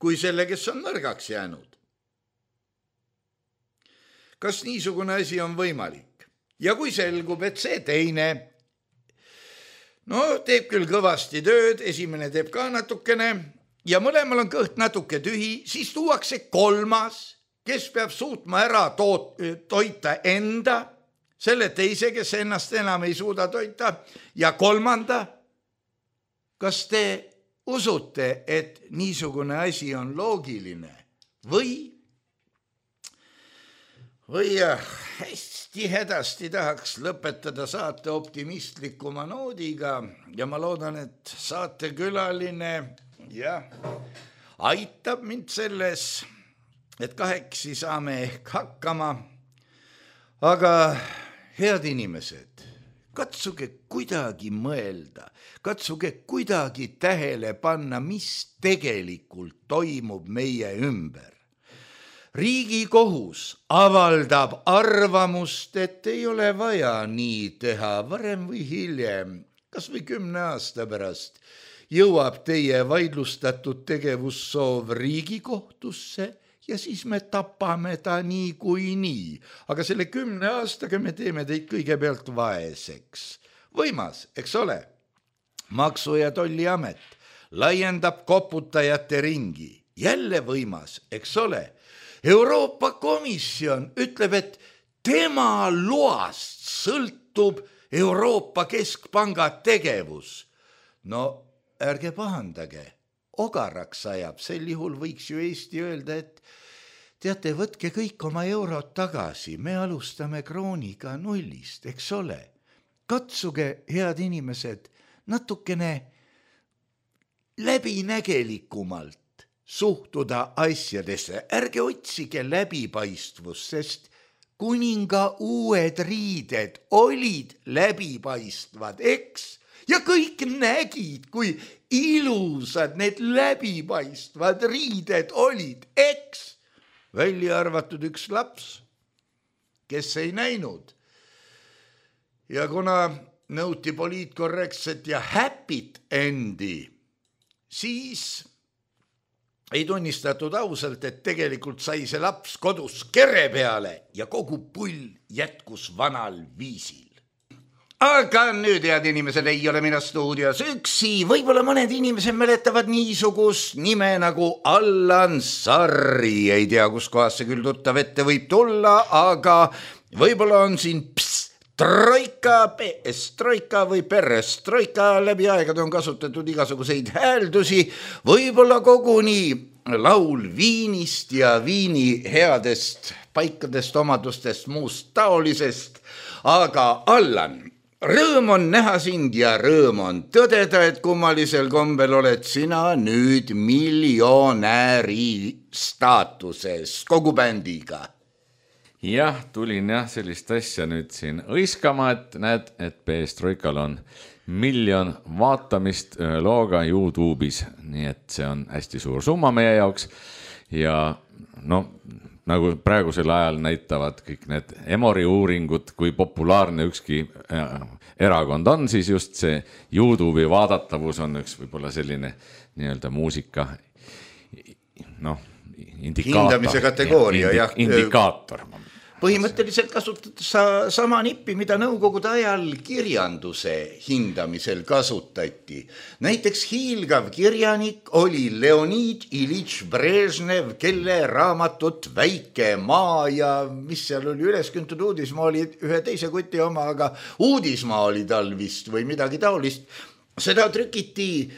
kui selle, kes on nõrgaks jäänud. Kas niisugune asi on võimalik? Ja kui selgub, et see teine teeb küll kõvasti tööd, esimene teeb ka natukene ja mõlemal on kõht natuke tühi, siis tuuakse kolmas, kes peab suutma ära toita enda, selle teise, kes ennast enam ei suuda toita ja kolmanda. Kas te usute, et niisugune asi on loogiline? või hästi tahaks lõpetada saate optimistlikuma noodiga ja ma loodan, et saatekülaline aitab mind selles, et kahekesi saame ehk hakkama. Aga head inimesed, katsuge kuidagi mõelda, katsuge kuidagi tähele panna, mis tegelikult toimub meie ümber. Riigikohus avaldab arvamust, et ei ole vaja nii teha varem või hiljem, kas või 10 aasta pärast, jõuab teie vaidlustatud tegevussoov Riigikohtusse ja siis me tapame ta nii kui nii. Aga selle 10 aastaga me teeme teid kõigepealt vaeseks. Võimas, eks ole? Maksu- ja Tolliamet laiendab koputajate ringi. Jälle võimas, eks ole? Euroopa Komisjon ütleb, et tema loast sõltub Euroopa Keskpanga tegevus. No ärge pahandage, ogaraks ajab, sel juhul võiks ju Eesti öelda, et teate, võtke kõik oma eurod tagasi, me alustame krooniga nullist, eks ole. Katsuge, head inimesed, natukene läbinägelikumalt suhtuda asjadesse, ärge otsige läbipaistvust, sest kuninga uued riided olid läbipaistvad, eks? Ja kõik nägid, kui ilusad need läbipaistvad riided olid, eks? Välja arvatud üks laps, kes ei näinud. Ja kuna nõuti poliitkorrektset ja happy't endi, siis ei tunnistatud ausalt, et tegelikult sai see laps kodus kere peale ja kogu pull jätkus vanal viisil. Aga nüüd, head inimesed, ei ole mina stuudios üksi. Võib-olla mõned inimesed mäletavad niisugust nime nagu Allan Sarri. Ei tea, kus kohas see küll tuttav ette võib tulla, aga võib-olla on siin Troika, PS-troika või perestroika, läbi aegade on kasutatud igasuguseid hääldusi, võib-olla koguni laul viinist ja viini headest paikadest, omadustest, muust taolisest. Aga Allan, rõõm on näha sind ja rõõm on tõdeda, et kummalisel kombel oled sina nüüd miljonääri staatuses kogu bändiga. Jah, tulin sellist asja nüüd siin õiskama, et näed, et PS-troikal on 1 miljon vaatamist looga YouTube'is, nii et see on hästi suur summa meie jaoks ja nagu praegusel ajal näitavad kõik need Emori uuringud, kui populaarne ükski erakond on, siis just see YouTube'i vaadatavus on üks võib-olla selline nii-öelda muusika hindamise kategooria, indikaator. Põhimõtteliselt kasutades sama nippi, mida nõukogude ajal kirjanduse hindamisel kasutati. Näiteks hiilgav kirjanik oli Leonid Ilitš Brežnev, kelle raamatut Väike maa ja mis seal oli ülesküntud uudismaa oli ühe teise kuti oma, aga uudismaa oli tal vist või midagi taolist. Seda trükiti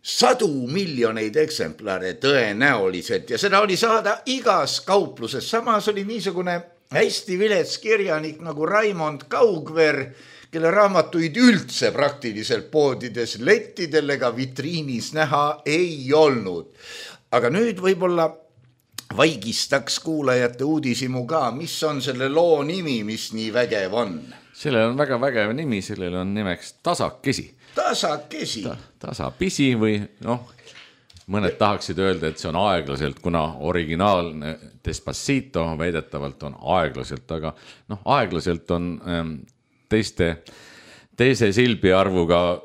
100 miljoneid eksemplare tõenäoliselt ja seda oli saada igas kaupluses. Samas oli niisugune hästi vilets kirjanik nagu Raimond Kaugver, kelle raamatuid üldse praktiliselt poodides lettidel ega vitriinis näha ei olnud. Aga nüüd võib-olla vaigistaks kuulajate uudisimu ka, mis on selle loo nimi, mis nii vägev on? Sellel on väga vägev nimi, sellel on nimeks Tasakesi. Tasakesi? Tasapisi või mõned tahaksid öelda, et see on aeglaselt, kuna originaalne Despacito väidetavalt on aeglaselt, aga aeglaselt on teise silbi arvuga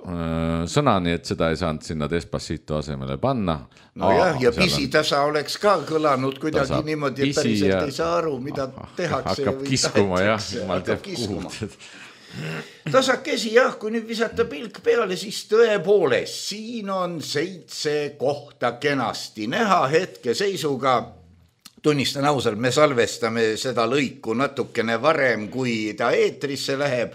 sõna, nii et seda ei saanud sinna Despacito asemele panna. Ja pisitasa oleks ka kõlanud kuidagi niimoodi, et päriselt ei saa aru, mida tehakse. Hakkab kiskuma, jumal teab kuhu. Tasakesi, kui nüüd visata pilk peale, siis tõepoolest, siin on 7 kohta kenasti näha hetkeseisuga. Tunnistan ausalt, me salvestame seda lõiku natukene varem, kui ta eetrisse läheb.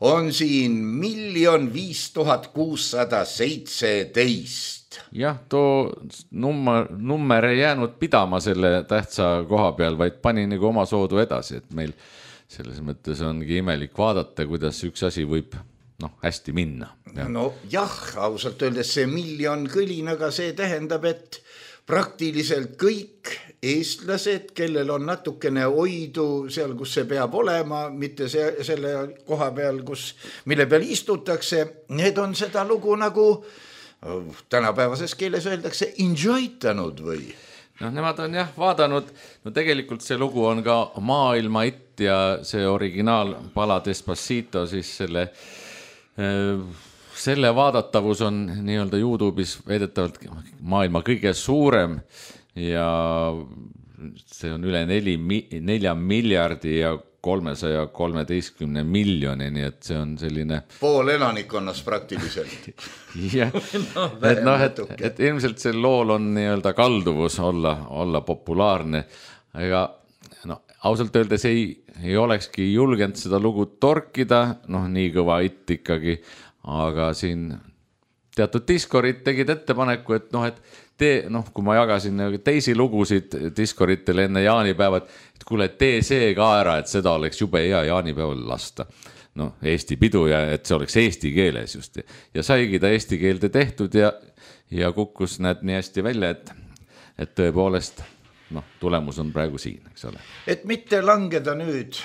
On siin 1 500 617 Jah, too nummer ei jäänud pidama selle tähtsa koha peal, vaid pani nagu oma soodu edasi, et meil selles mõttes ongi imelik vaadata, kuidas üks asi võib hästi minna. No jah, ausalt öeldes see 1 miljon kõlinaga, see tähendab, et praktiliselt kõik eestlased, kellel on natukene oidu seal, kus see peab olema, mitte selle koha peal, mille peal istutakse, need on seda lugu nagu tänapäevases keeles öeldakse enjoytanud või? Nemad on jah vaadanud, tegelikult see lugu on ka maailma hitt ja see originaalpala Despacito, siis selle vaadatavus on nii-öelda YouTube'is veedetavalt maailma kõige suurem ja see on üle 4 miljardi ja 313 miljoni, nii et see on selline pool elanikkonnast praktiliselt. Jah, et ilmselt see lool on nii-öelda kalduvus olla populaarne, aga ausalt öeldes ei olekski julgenud seda lugu torkida, nii kõva hitt ikkagi, aga siin teatud diskorid tegid ettepaneku, et kui ma jagasin teisi lugusid diskoritele enne jaanipäeva, et kuule, tee see ka ära, et seda oleks jube hea jaanipäeval lasta. Eesti pidu ja et see oleks eesti keeles just. Ja saigi ta eesti keelde tehtud ja kukkus näed nii hästi välja, et tõepoolest tulemus on praegu siin, eks ole. Et mitte langeda nüüd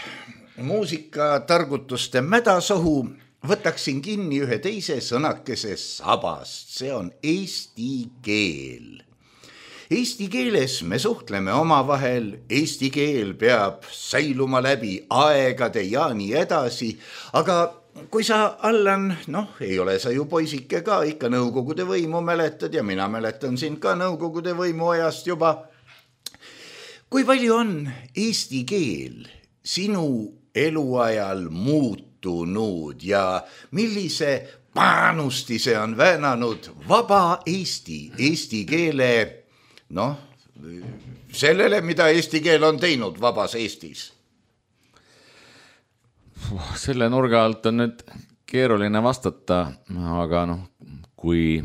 muusikatargutuste mädasohu, võtaksin kinni ühe teise sõnakese sabast, see on eesti keel. Eesti keeles me suhtleme omavahel, eesti keel peab säiluma läbi aegade ja nii edasi, aga kui sa, Allan, ei ole sa ju poisike ka, ikka nõukogude võimu mäletad ja mina mäletan sind ka nõukogude võimu ajast juba. Kui palju on eesti keel sinu eluajal muutunud ja millise panusti see on väänanud vaba eesti keele, sellele, mida eesti keel on teinud vabas Eestis? Selle nurga alt on nüüd keeruline vastata, aga kui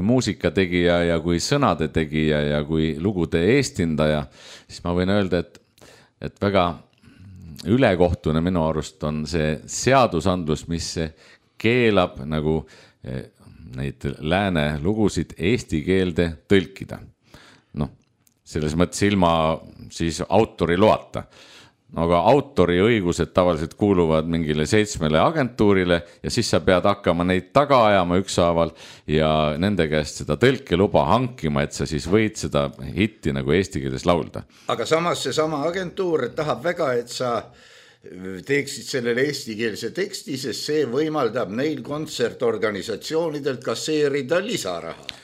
muusikategija ja kui sõnade tegija ja kui lugude eestindaja, siis ma võin öelda, et väga ülekohtune minu arust on see seadusandlus, mis keelab nagu neid lääne lugusid eesti keelde tõlkida. Selles mõttes ilma siis autori loata. Aga autori õigused tavaliselt kuuluvad mingile 7 agentuurile ja siis sa pead hakkama neid taga ajama ükshaaval ja nende käest seda tõlkeluba hankima, et sa siis võid seda hitti nagu eesti keeles laulda. Aga samas see sama agentuur tahab väga, et sa teeksid sellele eestikeelse teksti, sest see võimaldab neil kontsertorganisatsioonidelt kasseerida lisaraha.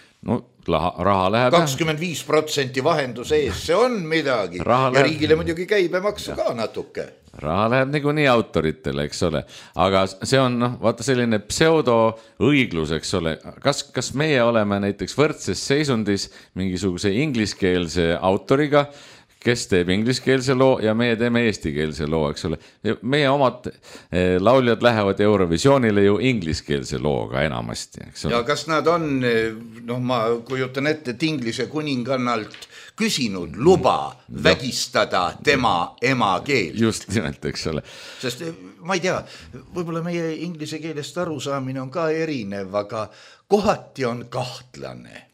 Raha läheb 25% vahenduse ees, see on midagi. Ja riigile muidugi käibemaksu ka natuke. Raha läheb nii autoritele, eks ole. Aga see on vaata selline pseudo-õiglus, eks ole. Kas meie oleme näiteks võrdses seisundis mingisuguse ingliskeelse autoriga, kes teeb ingliskeelse loo ja meie teeme eestikeelse loo, eks ole. Meie omad lauljad lähevad Eurovisioonile ju ingliskeelse looga enamasti, eks ole. Ja kas nad on, ma kujutan ette, Inglise kuningannalt küsinud luba vägistada tema emakeel? Just nimelt, eks ole. Sest ma ei tea, võib-olla meie inglise keelest arusaamine on ka erinev, aga kohati on kahtlane.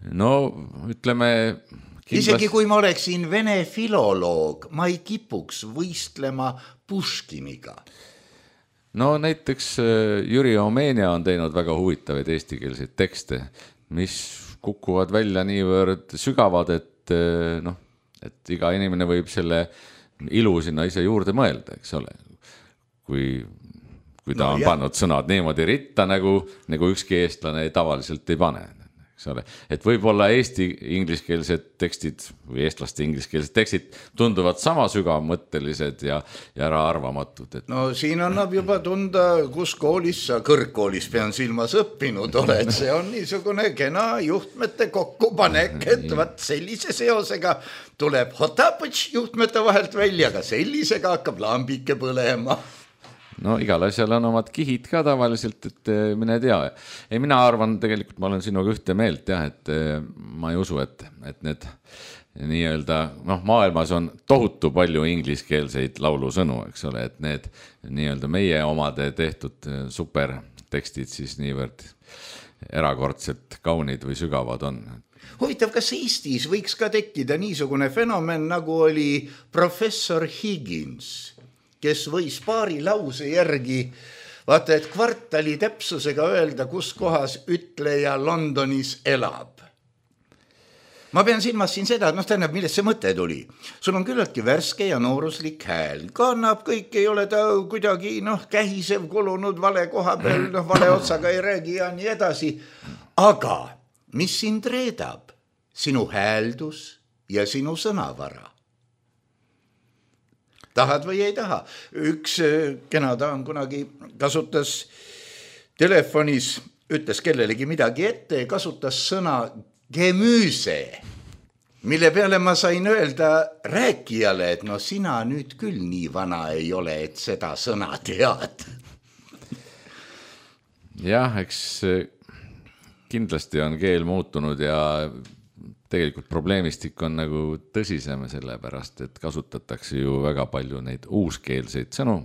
Ütleme... Isegi kui ma oleksin vene filoloog, ma ei kipuks võistlema Puškiniga. Näiteks Jüri Omenia on teinud väga huvitavaid eestikeelseid tekste, mis kukuvad välja niivõrd sügavad, et iga inimene võib selle ilu sinna ise juurde mõelda, eks ole. Kui ta on pannud sõnad niimoodi ritta, nagu ükski eestlane tavaliselt ei pane. Et võib-olla eesti ingliskeelsed tekstid või eestlaste ingliskeelsed tekstid tunduvad sama sügavmõttelised ja äraarvamatud. Siin annab juba tunda, kus koolis sa kõrgkoolis pean silmas õppinud oled. See on niisugune kena juhtmete kokkupanek, et vaat sellise seosega tuleb Hotapõtš juhtmete vahelt välja, aga sellisega hakkab lambike põlema. no igal asjal on omad kihid ka tavaliselt, et mine tea. Ei, mina arvan, tegelikult ma olen sinuga ühte meelt jah, et ma ei usu, et need nii-öelda, noh, maailmas on tohutu palju ingliskeelseid laulusõnu, eks ole, et need nii-öelda meie omade tehtud supertekstid siis niivõrd erakordselt kaunid või sügavad on. Huvitav, kas Eestis võiks ka tekkida niisugune fenomen, nagu oli professor Higgins, kes võis paari lause järgi, vaata, et kvartali täpsusega öelda, kus kohas ütleja Londonis elab. Ma pean silmas siin seda, et tähendab, millest see mõte tuli. Sul on küllaltki värske ja nooruslik hääl. Kannab kõik, ei ole ta kuidagi kähisev kulunud vale koha peal, vale otsaga ei räägi ja nii edasi. Aga mis sind reedab? Sinu hääldus ja sinu sõnavara. Tahad või ei taha? Üks kena daan kunagi kasutas telefonis, ütles kellelegi midagi ette, kasutas sõna gemüüse, mille peale ma sain öelda rääkijale, et sina nüüd küll nii vana ei ole, et seda sõna tead. Jah, eks kindlasti on keel muutunud ja tegelikult probleemistik on nagu tõsisem sellepärast, et kasutatakse ju väga palju neid uuskeelseid sõnu,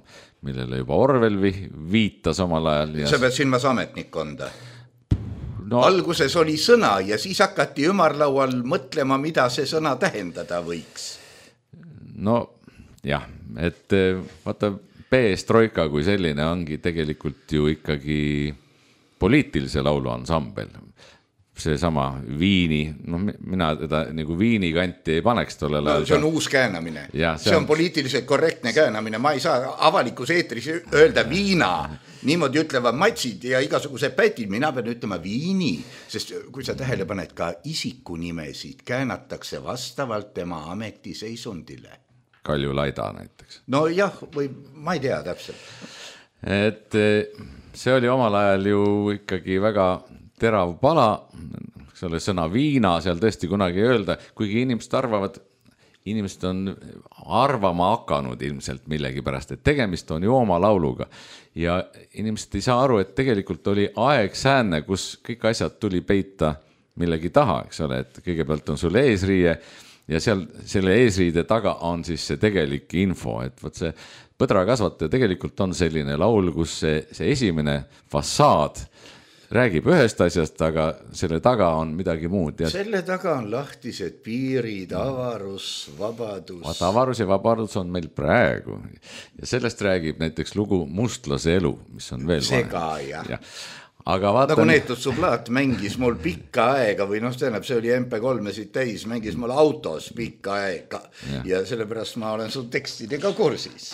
millele juba Orwell viitas omal ajal. Sa pead silmas ametnikkonda. Alguses oli sõna ja siis hakati ümarlaual mõtlema, mida see sõna tähendada võiks. No jah, et vaata, perestroika kui selline ongi tegelikult ju ikkagi poliitilise laulu ansambel. See sama Viini, mina teda nagu Viini kanti ei paneks tolle laulu. See on uus käänamine. See on poliitiliselt korrektne käänamine. Ma ei saa avalikus eetris öelda viina. Niimoodi ütlevad matsid ja igasuguse pätid. Mina pean ütlema Viini, sest kui sa tähele paned, ka isikunimesid käänatakse vastavalt tema ametiseisundile. Kalju Laida näiteks. No jah, või ma ei tea täpselt. Et see oli omal ajal ju ikkagi väga terav pala, selle sõna viina seal tõesti kunagi öelda, kuigi inimesed on arvama hakanud ilmselt millegi pärast, et tegemist on ju oma lauluga ja inimesed ei saa aru, et tegelikult oli aeg säänne, kus kõik asjad tuli peita millegi taha, eks ole, et kõigepealt on sul eesriie ja seal selle eesriide taga on siis see tegelik info, et võt see põdrakasvataja tegelikult on selline laul, kus see esimene fassaad räägib ühest asjast, aga selle taga on midagi muud. Selle taga on lahtised piirid, avarus, vabadus. Avarus ja vabadus on meil praegu. Ja sellest räägib näiteks lugu Mustlase elu, mis on veel see ka, jah. Aga vaatan... Nagu Neetud Sublaat mängis mul pikka aega või tähendab, see oli MP3-sid täis, mängis mul autos pikka aega ja sellepärast ma olen su tekstidega kursis.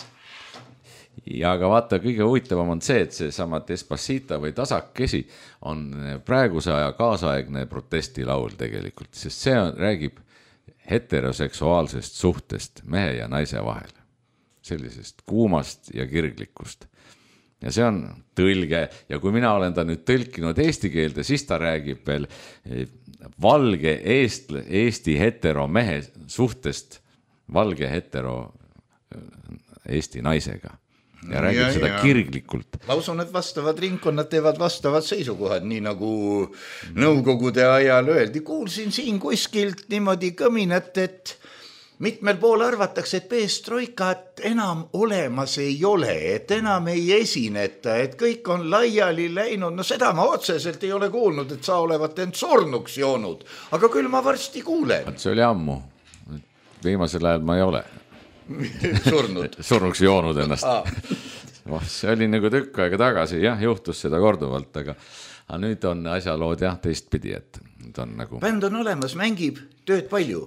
Ja aga vaata, kõige huvitavam on see, et see sama Despacito või Tasakesi on praeguse aja kaasaegne protestilaul tegelikult, sest see räägib heteroseksuaalsest suhtest mehe ja naise vahel, sellisest kuumast ja kirglikust. Ja see on tõlge ja kui mina olen ta nüüd tõlkinud eesti keelde, siis ta räägib veel valge Eesti hetero mehe suhtest valge hetero Eesti naisega. Ja räägib seda kirglikult. Ma usun, et vastavad ringkonnad teevad vastavad seisukohad, nii nagu nõukogude ajal öeldi. Kuulsin siin kuskilt niimoodi kõminat, et mitmel pool arvatakse, et perestroikat enam olemas ei ole, et enam ei esineta, et kõik on laiali läinud. No seda ma otseselt ei ole kuulnud, et sa olevat end surnuks joonud, aga küll ma varsti kuulen. See oli ammu. Viimasel ajal ma ei ole. Surnuks joonud ennast. See oli nagu tükk aega tagasi, jah, juhtus seda korduvalt, aga nüüd on asjalood jah teistpidi, et nüüd on nagu... Bänd on olemas, mängib, tööd palju?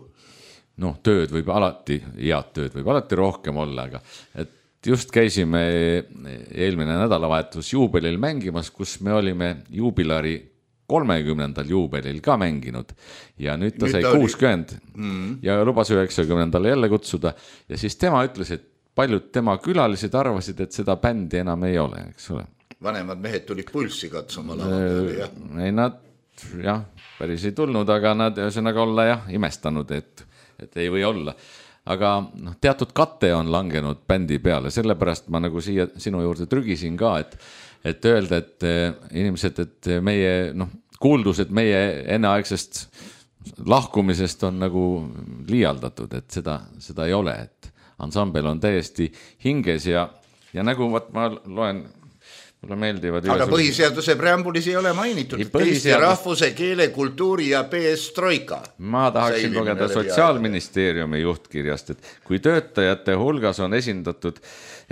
No tööd võib alati, head tööd võib alati rohkem olla, aga et just käisime eelmine nädalavahetus juubelil mängimas, kus me olime juubilari 30. juubelil ka mänginud ja nüüd ta sai 60 ja lubas 90. jälle kutsuda ja siis tema ütles, et paljud tema külalised arvasid, et seda bändi enam ei ole, eks ole. Vanemad mehed tulid pulssi katsuma lava peale, jah? Ei, nad jah, päris ei tulnud, aga nad ühesõnaga olla jah, imestanud, et ei või olla. aga noh, teatud kate on langenud bändi peale, sellepärast ma nagu siia sinu juurde trügisin ka, et öelda, et inimesed, et meie kuuldused meie enneaegsest lahkumisest on nagu liialdatud, et seda ei ole, et ansambel on täiesti hinges ja nagu ma loen, mulle meeldivad aga põhiseaduse preambulis ei ole mainitud Eesti rahvuse, keele, kultuuri ja perestroika. Ma tahaksin lugeda Sotsiaalministeeriumi juhtkirjast, et kui töötajate hulgas on esindatud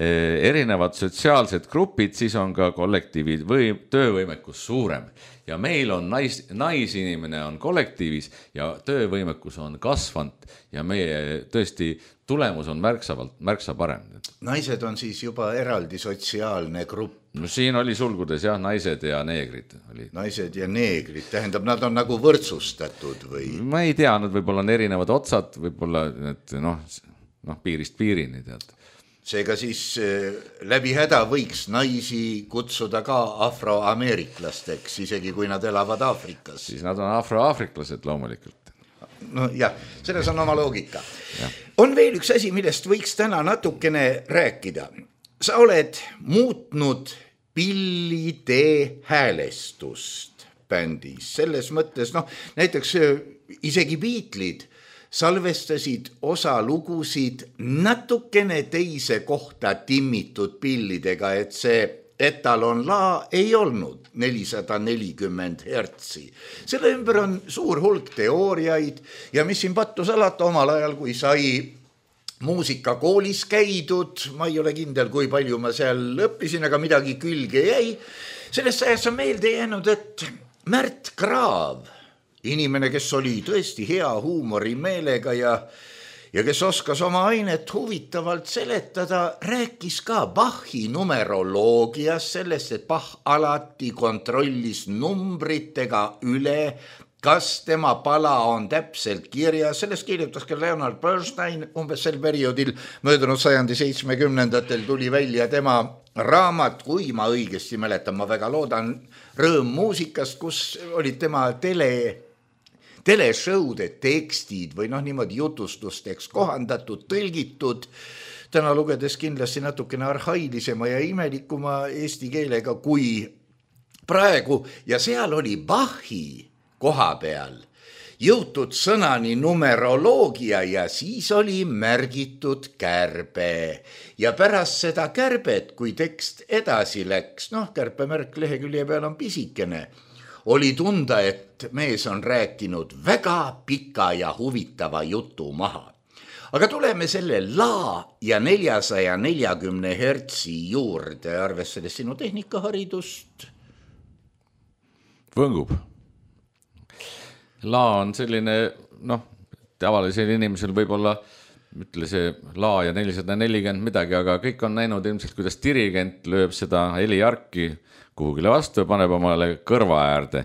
erinevad sotsiaalsed grupid, siis on ka kollektiivid või töövõimekus suurem. Ja meil on naisinimene on kollektiivis ja töövõimekus on kasvanud ja meie tõesti tulemus on märksa parem. Naised on siis juba eraldi sotsiaalne grupp. No siin oli sulgudes jah, naised ja neegrid. Naised ja neegrid, tähendab, nad on nagu võrdsustatud või? Ma ei tea, nad võib-olla on erinevad otsad, võib-olla et piirist piirini tead. Seega siis läbi häda võiks naisi kutsuda ka afroameeriklasteks, isegi kui nad elavad Aafrikas. Siis nad on afroaafriklased loomulikult. No jah, selles on oma loogika. Ja. On veel üks asi, millest võiks täna natukene rääkida. Sa oled muutnud pillide häälestust bändis. Selles mõttes, näiteks isegi Beatles'id salvestasid osa lugusid natukene teise kohta timmitud pillidega, et see etalon la ei olnud 440 hertsi. Selle ümber on suur hulk teooriaid ja mis siin pattu salata omal ajal, kui sai muusikakoolis käidud, ma ei ole kindel, kui palju ma seal õppisin, aga midagi külge jäi. Sellest ajast on meelde jäänud, et Märt Kraav, inimene, kes oli tõesti hea huumorimeelega ja kes oskas oma ainet huvitavalt seletada, rääkis ka Bachi numeroloogias sellest, et Bach alati kontrollis numbritega üle, kas tema pala on täpselt kirjas. Sellest kirjutas ka Leonard Bernstein umbes sel perioodil möödunud sajandi 70-ndatel tuli välja tema raamat, kui ma õigesti mäletan, ma väga loodan, Rõõm muusikast, kus olid tema teleshow'de tekstid või niimoodi jutustusteks kohandatud, tõlgitud, täna lugedes kindlasti natukene arhailisema ja imelikuma eesti keelega kui praegu ja seal oli Bachi koha peal jõutud sõnani numeroloogia ja siis oli märgitud kärbe. Ja pärast seda kärbet, kui tekst edasi läks, kärpemärk lehekülje peal on pisikene, oli tunda, et mees on rääkinud väga pika ja huvitava jutu maha. Aga tuleme selle la ja 440 hertsi juurde, arvestades sinu tehnikaharidust. Võngub. La on selline, tavalisel inimesel võib-olla, ütle see la ja 440 midagi, aga kõik on näinud ilmselt, kuidas dirigent lööb seda heliarki kuhugile vastu ja paneb omale kõrva äärde.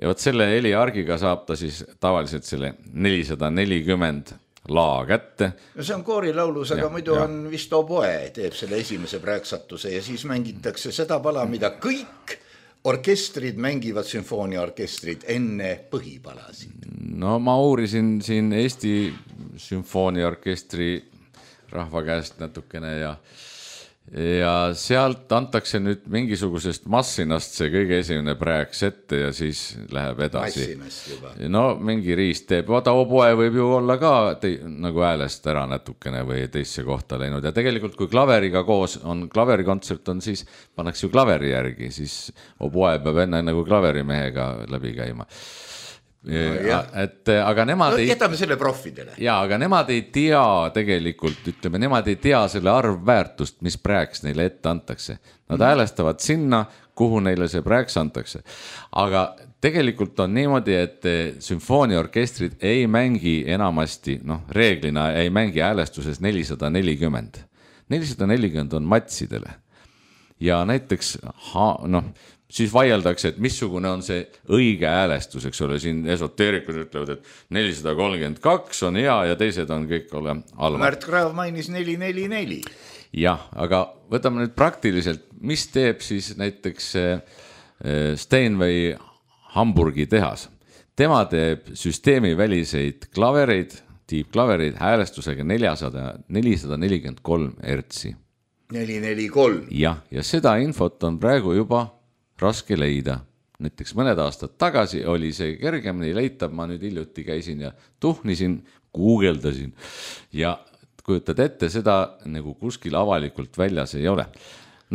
Ja võt selle heliargiga saab ta siis tavaliselt selle 440 la kätte. No see on koorilaulus, aga muidu on vist oboe, teeb selle esimese prääksatuse ja siis mängitakse seda pala, mida kõik orkestrid mängivad, sümfooniaorkestrid enne põhipalasid. No ma uurisin siin Eesti sümfooniaorkestri rahva käest natukene ja sealt antakse nüüd mingisugusest massinast see kõige esimene prääks ette ja siis läheb edasi. Massinast juba. No mingi riist teeb, vaata oboe võib ju olla ka nagu häälest ära natukene või teisse kohta läinud ja tegelikult kui klaveriga koos on, klaverikontsert on siis, pannakse ju klaveri järgi, siis oboe peab enne nagu klaverimehega läbi käima. Aga nemad jätame selle profidele. Aga nemad ei tea tegelikult, ütleme, nemad ei tea selle arvväärtust, mis prääks neile ette antakse. Nad häälestavad sinna, kuhu neile see prääks antakse. Aga tegelikult on niimoodi, et sümfooniaorkestrid ei mängi enamasti, reeglina ei mängi häälestuses 440. 440 on matsidele. Ja näiteks, siis vaieldakse, et missugune on see õige häälestus, eks ole, siin esoteerikud ütlevad, et 432 on hea ja teised on kõik ole halvad. Märt Kraav mainis 444. Jah, aga võtame nüüd praktiliselt, mis teeb siis näiteks Steinway Hamburgi tehas. Tema teeb süsteemi väliseid klavereid, tiibklaverid häälestusega 443 hertsi. 443. Ja seda infot on praegu juba raske leida. Näiteks mõned aastad tagasi oli see kergemini leitav, ma nüüd hiljuti käisin ja tuhnisin, guugeldasin ja kujutad ette, seda nagu kuskil avalikult väljas ei ole.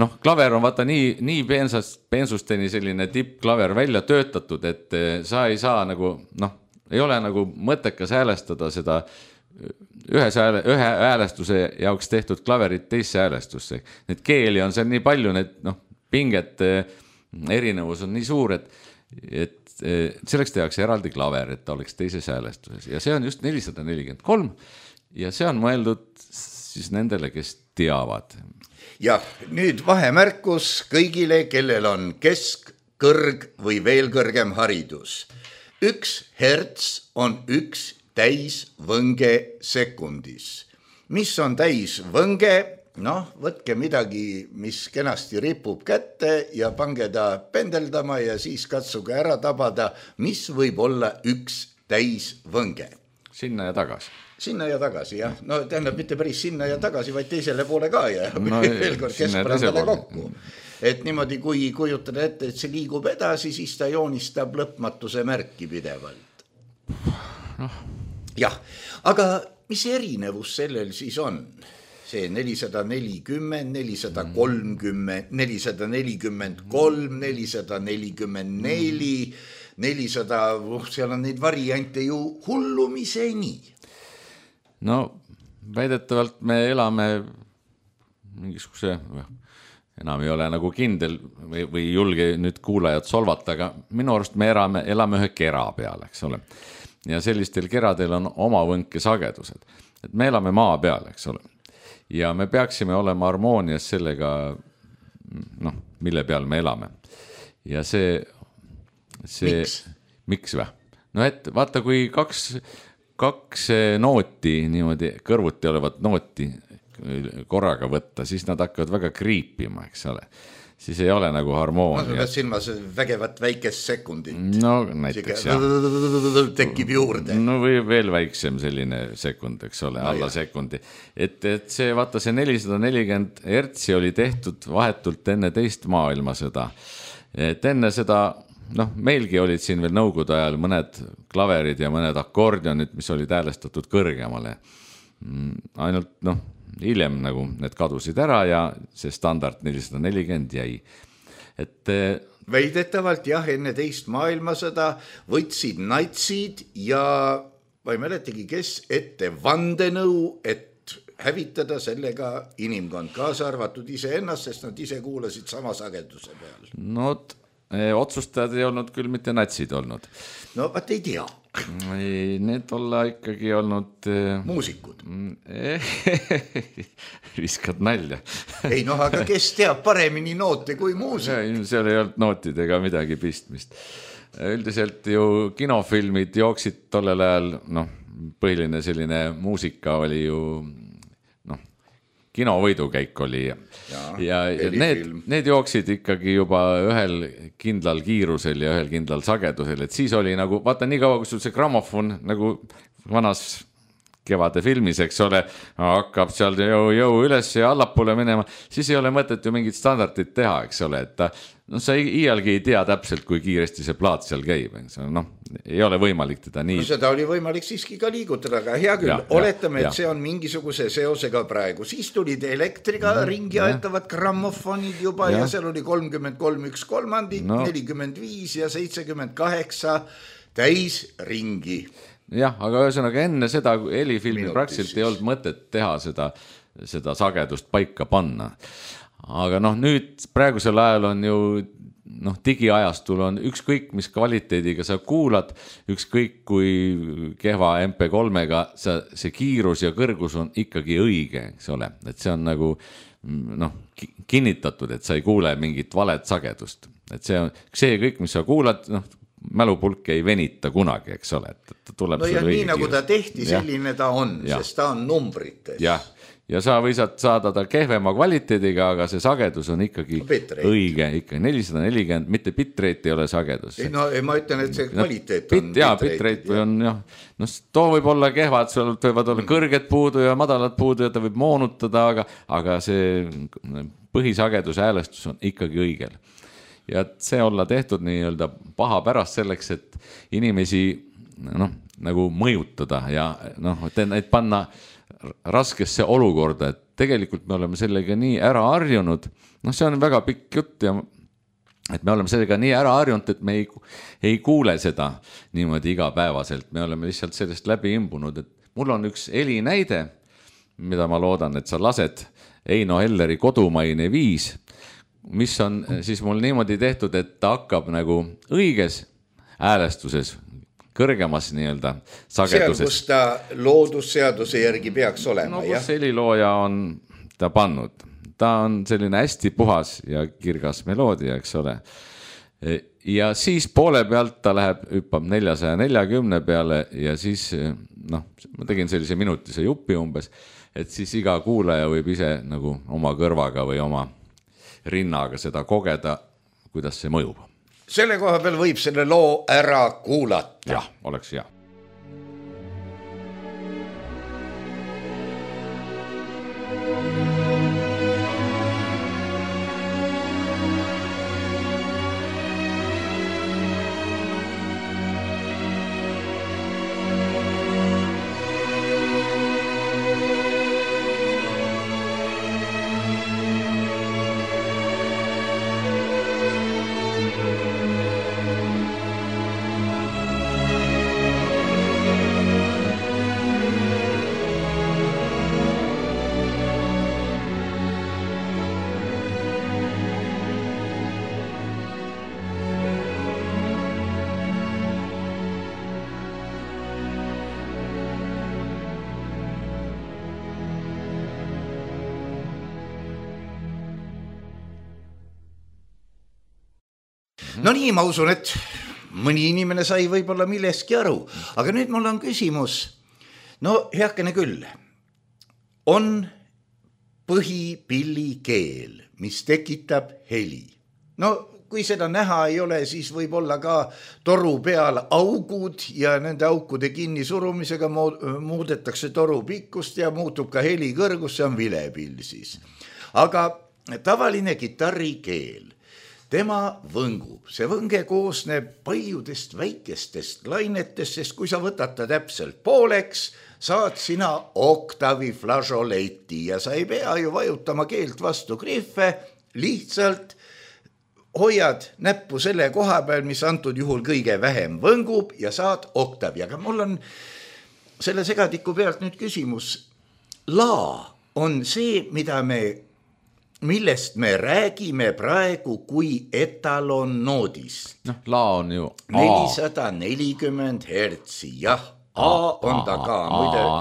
Noh, klaver on vaata nii peensusteni selline tippklaver välja töötatud, et sa ei saa nagu, ei ole nagu mõttekas häälestada seda ühe häälestuse jaoks tehtud klaverit teisse häälestusse. Need keeli on seal nii palju, need pinget erinevus on nii suur, et selleks tehakse eraldi klaver, et ta oleks teises häälestuses. Ja see on just 443 ja see on mõeldud siis nendele, kes teavad. Ja nüüd vahemärkus kõigile, kellel on kesk, kõrg või veel kõrgem haridus. 1 herts on 1 täisvõnge sekundis. Mis on täisvõnge? Võtke midagi, mis kenasti ripub kätte ja pange ta pendeldama ja siis katsuge ära tabada, mis võib olla 1 täisvõnge. Sinna ja tagasi. Sinna ja tagasi, jah. Tähendab mitte päris sinna ja tagasi, vaid teisele poole ka ja veel kord keskpõrandale kokku. Et niimoodi, kui kujutada ette, et see liigub edasi, siis ta joonistab lõpmatuse märki pidevalt. Jah, aga mis erinevus sellel siis on? See 440, 430, 443, 444, 400, seal on neid variante ju hullumiseni. Väidetavalt me elame mingisuguse, enam ei ole nagu kindel või julge nüüd kuulajad solvata, aga minu arust me elame ühe kera peal, eks ole. Ja sellistel keradel on oma võnkesagedused. Et me elame maa peal, eks ole. Ja me peaksime olema harmoonias sellega, mille peal me elame. Ja see miks või? Et vaata, kui kaks nooti, niimoodi kõrvuti olevat nooti korraga võtta, siis nad hakkavad väga kriipima, eks ole. Siis ei ole nagu harmoonia. Ma pead silmas vägevat väikest sekundit. Näiteks jah. Tekib juurde. Või veel väiksem selline sekund, eks ole, alla sekundi. Et see, vaata see 440 hertsi oli tehtud vahetult enne teist maailmasõda. Et enne seda, meilgi olid siin veel nõukogude ajal mõned klaverid ja mõned akordionid, mis olid häälestatud kõrgemale. Ainult, hiljem nagu need kadusid ära ja see standard 440 jäi. Väidetavalt jah, enne teist maailmasõda võtsid natsid ja ma ei mäletagi, kes ette vandenõu, et hävitada sellega inimkond, kaasa arvatud iseennast, sest nad ise kuulasid sama sageduse peal. Otsustajad ei olnud küll mitte natsid olnud. Vaat ei tea. Need olla ikkagi olnud muusikud. Viskad nalja. Ei aga kes teab paremini noote kui muusik? Seal ei olnud nootidega midagi pistmist. Üldiselt ju kinofilmid jooksid tollel ajal, põhiline selline muusika oli ju kinovõidukäik oli ja need jooksid ikkagi juba ühel kindlal kiirusel ja ühel kindlal sagedusel, et siis oli nagu, vaata nii kaua, kui sul see grammofon nagu vanas kevade filmis, eks ole, hakkab seal jõu üles ja allapoole minema, siis ei ole mõtet ju mingit standardit teha, eks ole, et sa iialgi ei tea täpselt, kui kiiresti see plaat seal käib, ei ole võimalik teda nii. Seda oli võimalik siiski ka liigutada, aga hea küll, oletame, et see on mingisuguse seosega praegu. Siis tulid elektriga ringi aetavad grammofonid juba ja seal oli 33 1/3, 45 ja 78 täis ringi. Jah, aga ühesõnaga enne seda helifilmi praktiliselt ei olnud mõtet teha seda sagedust paika panna. Aga nüüd praegusel ajal on ju digiajastul on ükskõik mis kvaliteediga sa kuulad, ükskõik kui kehva MP3-ga see kiirus ja kõrgus on ikkagi õige, eks ole, et see on nagu kinnitatud, et sa ei kuule mingit valet sagedust, et see kõik, mis sa kuulad, mälupulk ei venita kunagi, eks ole, et tuleb nii nagu ta tehti, selline ta on, sest ta on numbrites. Jah, ja sa võisad saada ta kehvema kvaliteediga, aga see sagedus on ikkagi õige, ikkagi 440, mitte bitrate ei ole sagedus. No ma ütlen, et see kvaliteet on bitrate või on jah, no too võib olla kehvad, sul võivad olla kõrged puudu ja madalad puudu ja ta võib moonutada, aga see põhisageduse häälestus on ikkagi õigel. Ja see olla tehtud nii-öelda paha pärast selleks, et inimesi nagu mõjutada ja neid panna raskesse olukorda, et tegelikult me oleme sellega nii ära harjunud, see on väga pikk jutt ja et me oleme sellega nii ära harjunud, et me ei kuule seda niimoodi igapäevaselt, me oleme lihtsalt sellest läbi imbunud, et mul on üks helinäide, mida ma loodan, et sa lased Eino Helleri Kodumaine 5, mis on siis mul niimoodi tehtud, et ta hakkab nagu õiges häälestuses, kõrgemas nii-öelda sageduses. Seal, kus ta loodusseaduse järgi peaks olema, jah? Kus helilooja on ta pannud. Ta on selline hästi puhas ja kirgas meloodia, eks ole. Ja siis poole pealt ta hüppab 440 peale ja siis, ma tegin sellise minutise jupi umbes, et siis iga kuulaja võib ise nagu oma kõrvaga või oma rinnaga seda kogeda, kuidas see mõjub. Selle koha peal võib selle loo ära kuulata. Jah, oleks hea. No nii, ma usun, et mõni inimene sai võib-olla milleski aru, aga nüüd mul on küsimus, heakene küll, on põhipillikeel, mis tekitab heli. Kui seda näha ei ole, siis võib olla ka toru peal augud ja nende aukude kinni surumisega muudetakse toru pikkust ja muutub ka heli kõrgus, see on vilepill siis. Aga tavaline kitarrikeel, tema võngub. See võnge koosneb paljudest väikestest lainetest, sest kui sa võtad ta täpselt pooleks, saad sina oktavi flažoleti ja sa ei pea ju vajutama keelt vastu griffe, lihtsalt hoiad näppu selle koha peal, mis antud juhul kõige vähem võngub ja saad oktavi. Aga mul on selle segadiku pealt nüüd küsimus. Laa on see, millest me räägime praegu kui etalonnoodist. Laa on ju 440 hertsi, jah. A on ta ka.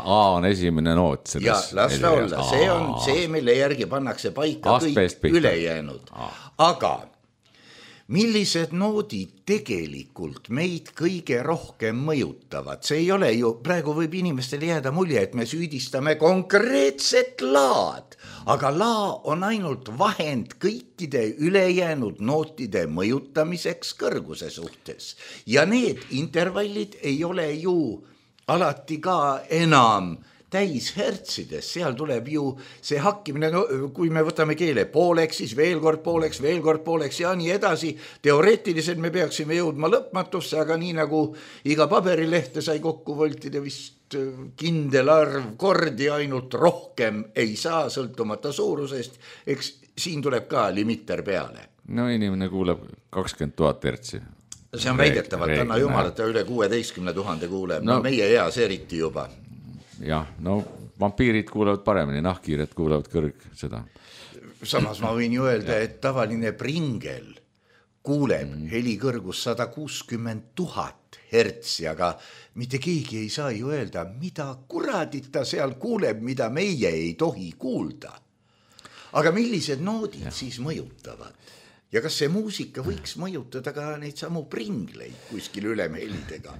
A on esimene noot. Ja, las ta olla. See on see, mille järgi pannakse paika kõik ülejäänud. Aga millised noodid tegelikult meid kõige rohkem mõjutavad? See ei ole ju, praegu võib inimestele jääda mulje, et me süüdistame konkreetset laad, aga laa on ainult vahend kõikide ülejäänud nootide mõjutamiseks kõrguse suhtes. Ja need intervallid ei ole ju alati ka enam täis hertsides, seal tuleb ju see hakkimine, kui me võtame keele pooleks, siis veel kord pooleks ja nii edasi. Teoreetiliselt me peaksime jõudma lõpmatusse, aga nii nagu iga paberilehte sai kokku voltida vist kindel arv kordi, ainult rohkem ei saa sõltumata suurusest, eks siin tuleb ka limitter peale. Inimene kuuleb 20 000 hertsi. See on väidetavalt, anna jumalata üle 16 000 kuuleb, meie eas eriti juba. Jah, vampiirid kuulevad paremini, nahkhiired kuulevad seda. Samas ma võin ju öelda, et tavaline pringel kuuleb helikõrgus 160 000 hertsi, aga mitte keegi ei saa ju öelda, mida kuradit ta seal kuuleb, mida meie ei tohi kuulda. Aga millised noodid siis mõjutavad? Ja kas see muusika võiks mõjutada ka neid samu pringleid kuskil ülemhelidega?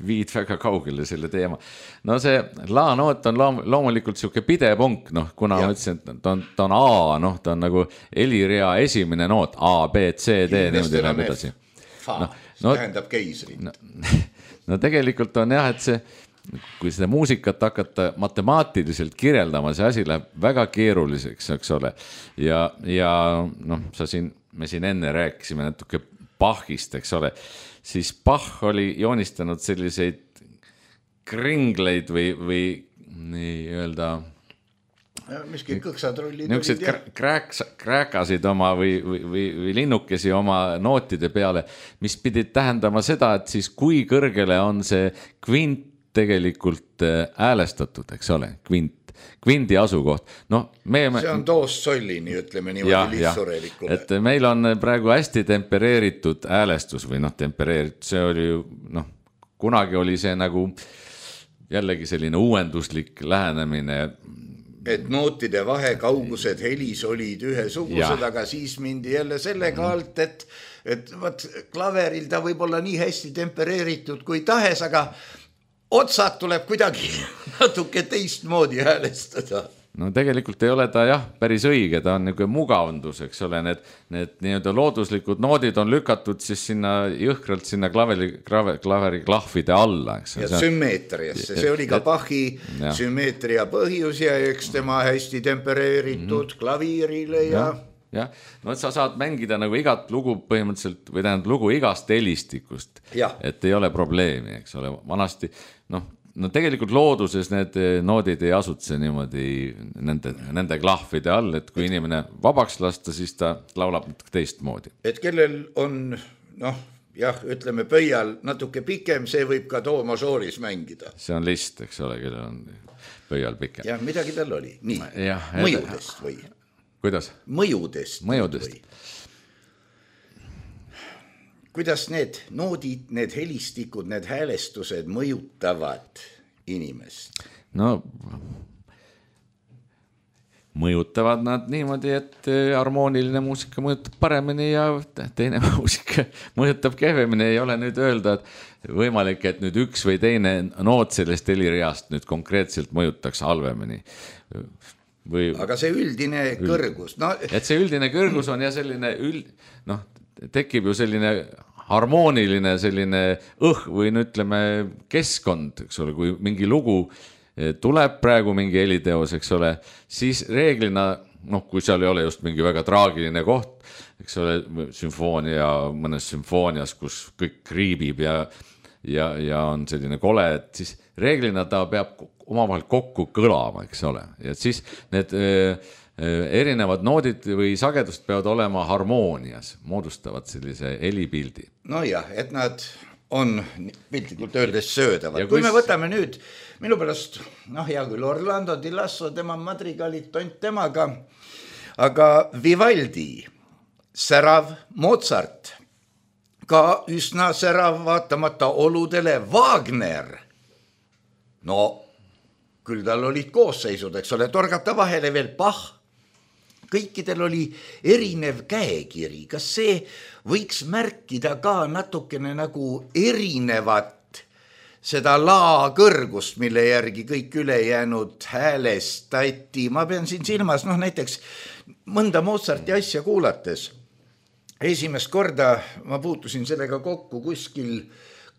viid väga kaugele selle teema. No see la-noot on loomulikult siuke pidepunkt, kuna ma ütlesin, et ta on A, ta on nagu helirea esimene noot, A, B, C, D, niimoodi läheb edasi. See tähendab keisri. No tegelikult on jah, et see, kui seda muusikat hakata matemaatiliselt kirjeldama, see asi läheb väga keeruliseks, eks ole. Ja me siin enne rääkisime natuke Bachist, eks ole, siis Bach oli joonistanud selliseid kringleid või nii öelda miski kõksatrollid niisugused kräkasid oma või linnukesi oma nootide peale, mis pidid tähendama seda, et siis kui kõrgele on see kvint tegelikult häälestatud, eks ole, kvindi asukoht. See on toost sollini, ütleme niimoodi lihtsurelikule. Et meil on praegu hästi tempereeritud häälestus või tempereeritud, see oli ju, kunagi oli see nagu jällegi selline uuenduslik lähenemine. Et nootide vahekaugused helis olid ühesugused, aga siis mindi jälle sellega alt, et võt, klaveril ta võib olla nii hästi tempereeritud kui tahes, aga otsad tuleb kuidagi natuke teistmoodi häälestada. No tegelikult ei ole ta päris õige, ta on niisugune mugavndus, eks ole, need nii-öelda looduslikud noodid on lükatud siis sinna jõhkralt sinna klaveri klahvide alla, eks. Ja sümmeetriasse, see oli ka Bachi sümmeetria põhjus ja eks tema hästi tempereeritud klaviirile ja. No sa saad mängida nagu igat lugu põhimõtteliselt või tähendab lugu igast helistikust, et ei ole probleemi, eks ole, vanasti, no tegelikult looduses need noodid ei asutse niimoodi nende klahvide all, et kui inimene vabaks lasta, siis ta laulab teistmoodi. Et kellel on, ütleme pöial natuke pikem, see võib ka do majooris mängida. See on list, eks ole, kellel on pöial pikem. Ja midagi tal oli. Nii, mõjudest või? Kuidas? Mõjudest. Kuidas need noodid, need helistikud, need häälestused mõjutavad inimest? Mõjutavad nad niimoodi, et harmooniline muusika mõjutab paremini ja teine muusika mõjutab kehvemini. Ei ole nüüd öelda, et võimalik, et nüüd üks või teine noot sellest helireast nüüd konkreetselt mõjutaks halvemini. Aga see üldine kõrgus. Et see üldine kõrgus on ja selline tekib ju selline harmooniline selline või ütleme keskkond, eks ole, kui mingi lugu tuleb praegu mingi heliteos, eks ole, siis reeglina, kui seal ei ole just mingi väga traagiline koht, eks ole, mõnes sümfoonias, kus kõik kriibib ja on selline kole, et siis reeglina ta peab omavahel kokku kõlama, eks ole, ja siis need erinevad noodid või sagedust peavad olema harmoonias, moodustavad sellise helipildi. Et nad on piltlikult öeldes söödavad. Kui me võtame nüüd, minu pärast, hea küll, Orlando Di Lasso, tema madrigalit tont temaga, aga Vivaldi, särav Mozart, ka üsna särav vaatamata oludele Wagner. Küll tal olid koosseisud, eks ole, torgata vahele veel Bach. Kõikidel oli erinev käekiri. Kas see võiks märkida ka natukene nagu erinevat seda laa kõrgust, mille järgi kõik ülejäänud häälestati? Ma pean siin silmas, näiteks mõnda Mozarti asja kuulates. Esimest korda ma puutusin sellega kokku kuskil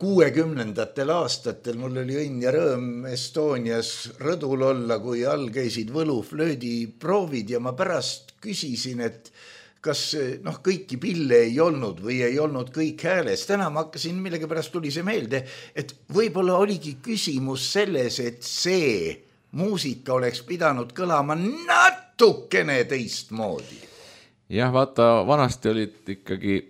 60. aastatel. Mul oli õnn ja rõõm Estonias rõdul olla, kui all käisid võluflöödi proovid ja ma pärast küsisin, et kas kõiki pille ei olnud või ei olnud kõik hääles. Täna ma hakkasin, millega pärast tuli see meelde, et võib-olla oligi küsimus selles, et see muusika oleks pidanud kõlama natukene teistmoodi. Jah, vaata, vanasti olid ikkagi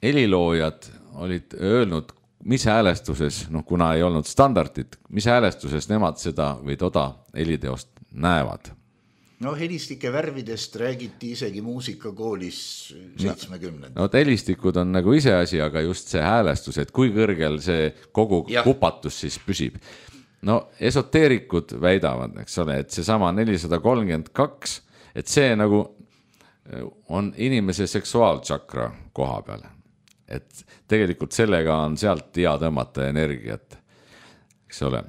heliloojad olid öelnud, mis häälestuses, kuna ei olnud standardit, mis häälestuses nemad seda või toda heliteost näevad? Helistike värvidest räägiti isegi muusikakoolis 70. Helistikud on nagu ise asi, aga just see häälestus, et kui kõrgel see kogu kupatus siis püsib. Esoteerikud väidavad, eks ole, et see sama 432, et see nagu on inimese seksuaaltšakra koha peal. et tegelikult sellega on sealt hea tõmmata energiat, eks ole.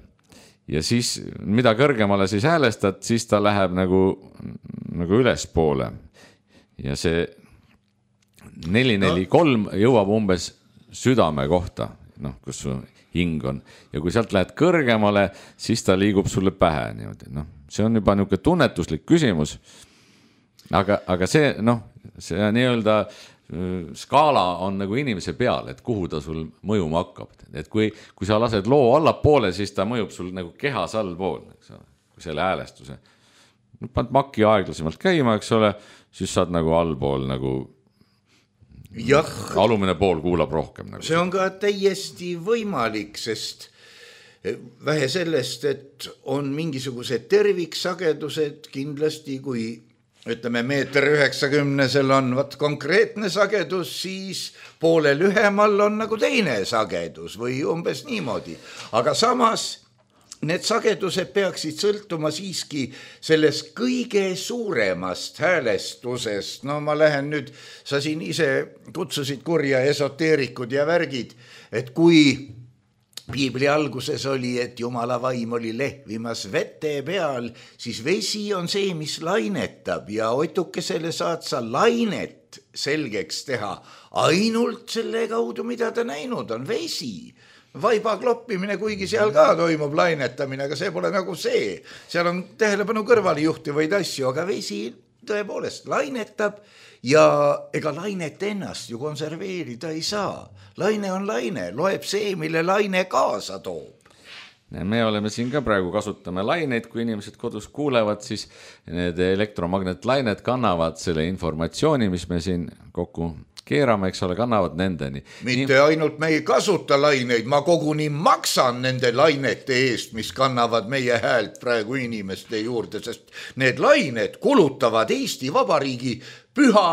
Ja siis, mida kõrgemale siis häälestad, siis ta läheb nagu ülespoole. Ja see 443 jõuab umbes südame kohta, kus su hing on. Ja kui sealt lähed kõrgemale, siis ta liigub sulle pähe niimoodi. See on juba niisugune tunnetuslik küsimus. Aga see, see nii-öelda skaala on nagu inimese peal, et kuhu ta sul mõjuma hakkab. Et kui sa lased loo allapoole, siis ta mõjub sul nagu kehas allpool, kui selle häälestuse. Paned makki aeglasemalt käima, eks ole, siis saad nagu allpool nagu alumine pool kuulab rohkem. See on ka täiesti võimalik, sest vähe sellest, et on mingisugused terviksagedused kindlasti, kui ütleme 1,90 on konkreetne sagedus, siis poole lühemal on nagu teine sagedus või umbes niimoodi. Aga samas need sagedused peaksid sõltuma siiski sellest kõige suuremast häälestusest. Ma lähen nüüd, sa siin ise kutsusid kurja esoteerikud ja värgid, et kui Piibli alguses oli, et Jumala vaim oli lehvimas vete peal, siis vesi on see, mis lainetab ja otukesele saad sa lainet selgeks teha ainult selle kaudu, mida ta näinud on, vesi. Vaiba kloppimine, kuigi seal ka toimub lainetamine, aga see pole nagu see. Seal on tähelepanu kõrvale juhtivaid asju, aga vesi tõepoolest lainetab ja ega lainet ennast ju konserveerida ei saa. Laine on laine, loeb see, mille laine kaasa toob. Me oleme siin ka praegu kasutame laineid, kui inimesed kodus kuulevad, siis need elektromagnetlained kannavad selle informatsiooni, mis me siin kokku keerame, eks ole, kannavad nendeni. Mitte ainult me ei kasuta laineid, ma koguni maksan nende lainete eest, mis kannavad meie häält praegu inimeste juurde, sest need lained kulutavad Eesti Vabariigi püha,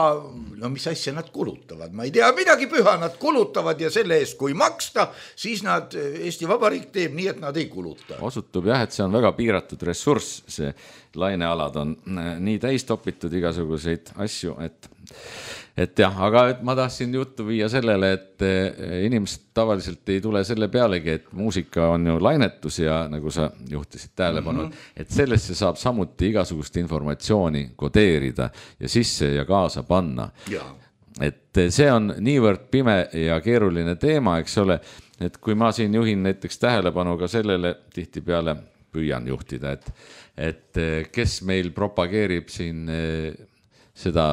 mis asja nad kulutavad, ma ei tea, midagi püha nad kulutavad ja selle eest, kui maksta, siis nad, Eesti Vabariik teeb nii, et nad ei kuluta. Osutub jah, et see on väga piiratud ressurss, see lainealad on nii täis topitud igasuguseid asju, et jah, aga ma tahtsin juttu viia sellele, et inimesed tavaliselt ei tule selle pealegi, et muusika on ju lainetus ja nagu sa juhtisid tähelepanu, et sellesse saab samuti igasugust informatsiooni kodeerida ja sisse ja kaasa panna. Ja. Et see on niivõrd pime ja keeruline teema, eks ole, et kui ma siin juhin näiteks tähelepanu ka sellele, tihti peale püüan juhtida, et kes meil propageerib siin seda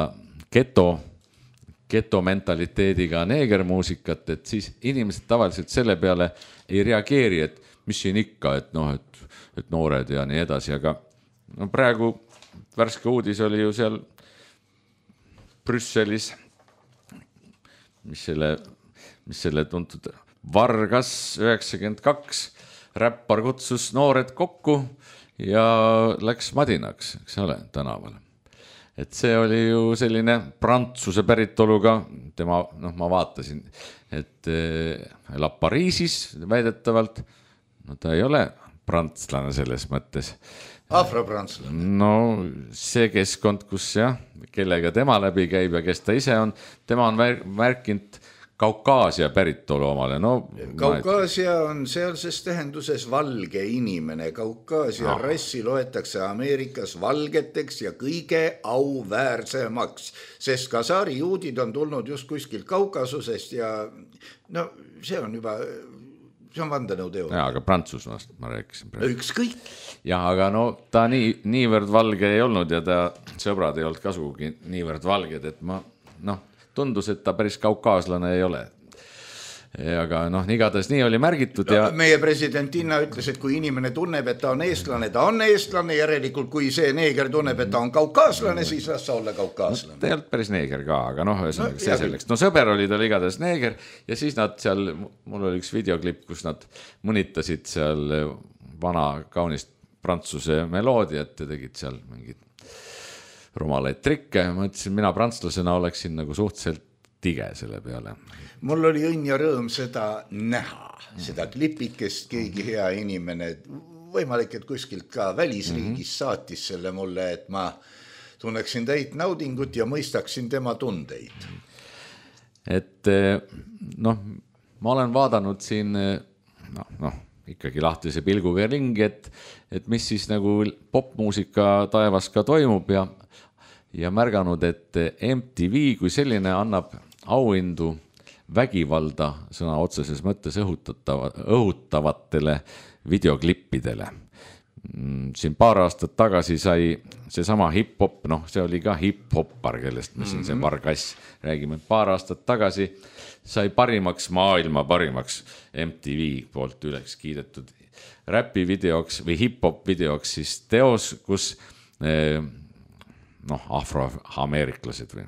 geto mentaliteediga neegermuusikat, et siis inimesed tavaliselt selle peale ei reageeri, et mis siin ikka, et noored ja nii edasi, aga praegu värske uudis oli ju seal Brüsselis, mis selle tuntud Vargas 92 räppar kutsus noored kokku ja läks madinaks, eks ole, tänaval. Et see oli ju selline Prantsuse päritoluga, tema, ma vaatasin, et elab Pariisis väidetavalt, ta ei ole prantslane selles mõttes. Afropranslane. No see keskkond, kus jah, kellega tema läbi käib ja kes ta ise on, tema on märkinud Kaukaasia päritolu omale. Kaukaasia on sealses tähenduses valge inimene. Kaukaasia rassi loetakse Ameerikas valgeteks ja kõige auväärsemaks, sest kasaari juudid on tulnud just kuskilt Kaukasusest ja see on juba, see on vandenõuteooria. Jaa, aga Prantsusmaast ma rääkisin. Ükskõik. Jah, aga ta niivõrd valge ei olnud ja ta sõbrad ei olnud kasugi niivõrd valged, et tundus, et ta päris kaukaaslane ei ole. Aga igatahes nii oli märgitud. Ja meie president Inna ütles, et kui inimene tunneb, et ta on eestlane, järelikult kui see neeger tunneb, et ta on kaukaaslane, siis las sa olla kaukaaslane. Ta ei olnud päris neeger ka, aga see selleks. Sõber oli tal igatahes neeger ja siis nad seal, mul oli üks videoklipp, kus nad mõnitasid seal vana kaunist prantsuse meloodiat ja tegid seal mingid rumalaid trikke. Ma ütlesin, mina prantslasena oleksin nagu suhteliselt tige selle peale. Mul oli õnn ja rõõm seda näha, seda klipikest, keegi hea inimene, võimalik, et kuskilt ka välisriigis saatis selle mulle, et ma tunneksin täit naudingut ja mõistaksin tema tundeid. et noh, ma olen vaadanud siin ikkagi lahtise pilguga ringi, et mis siis nagu popmuusika taevas ka toimub ja märganud, et MTV kui selline annab auhindu vägivalda sõna otseses mõttes õhutavatele videoklippidele. Siin paar aastat tagasi sai seesama hip-hop, see oli ka hip-hoppar, kellest me siin see Vargass räägime, paar aastat tagasi sai maailma parimaks MTV poolt üles kiidetud räpi videoks või hip-hop videoks siis teos, kus afroameeriklased või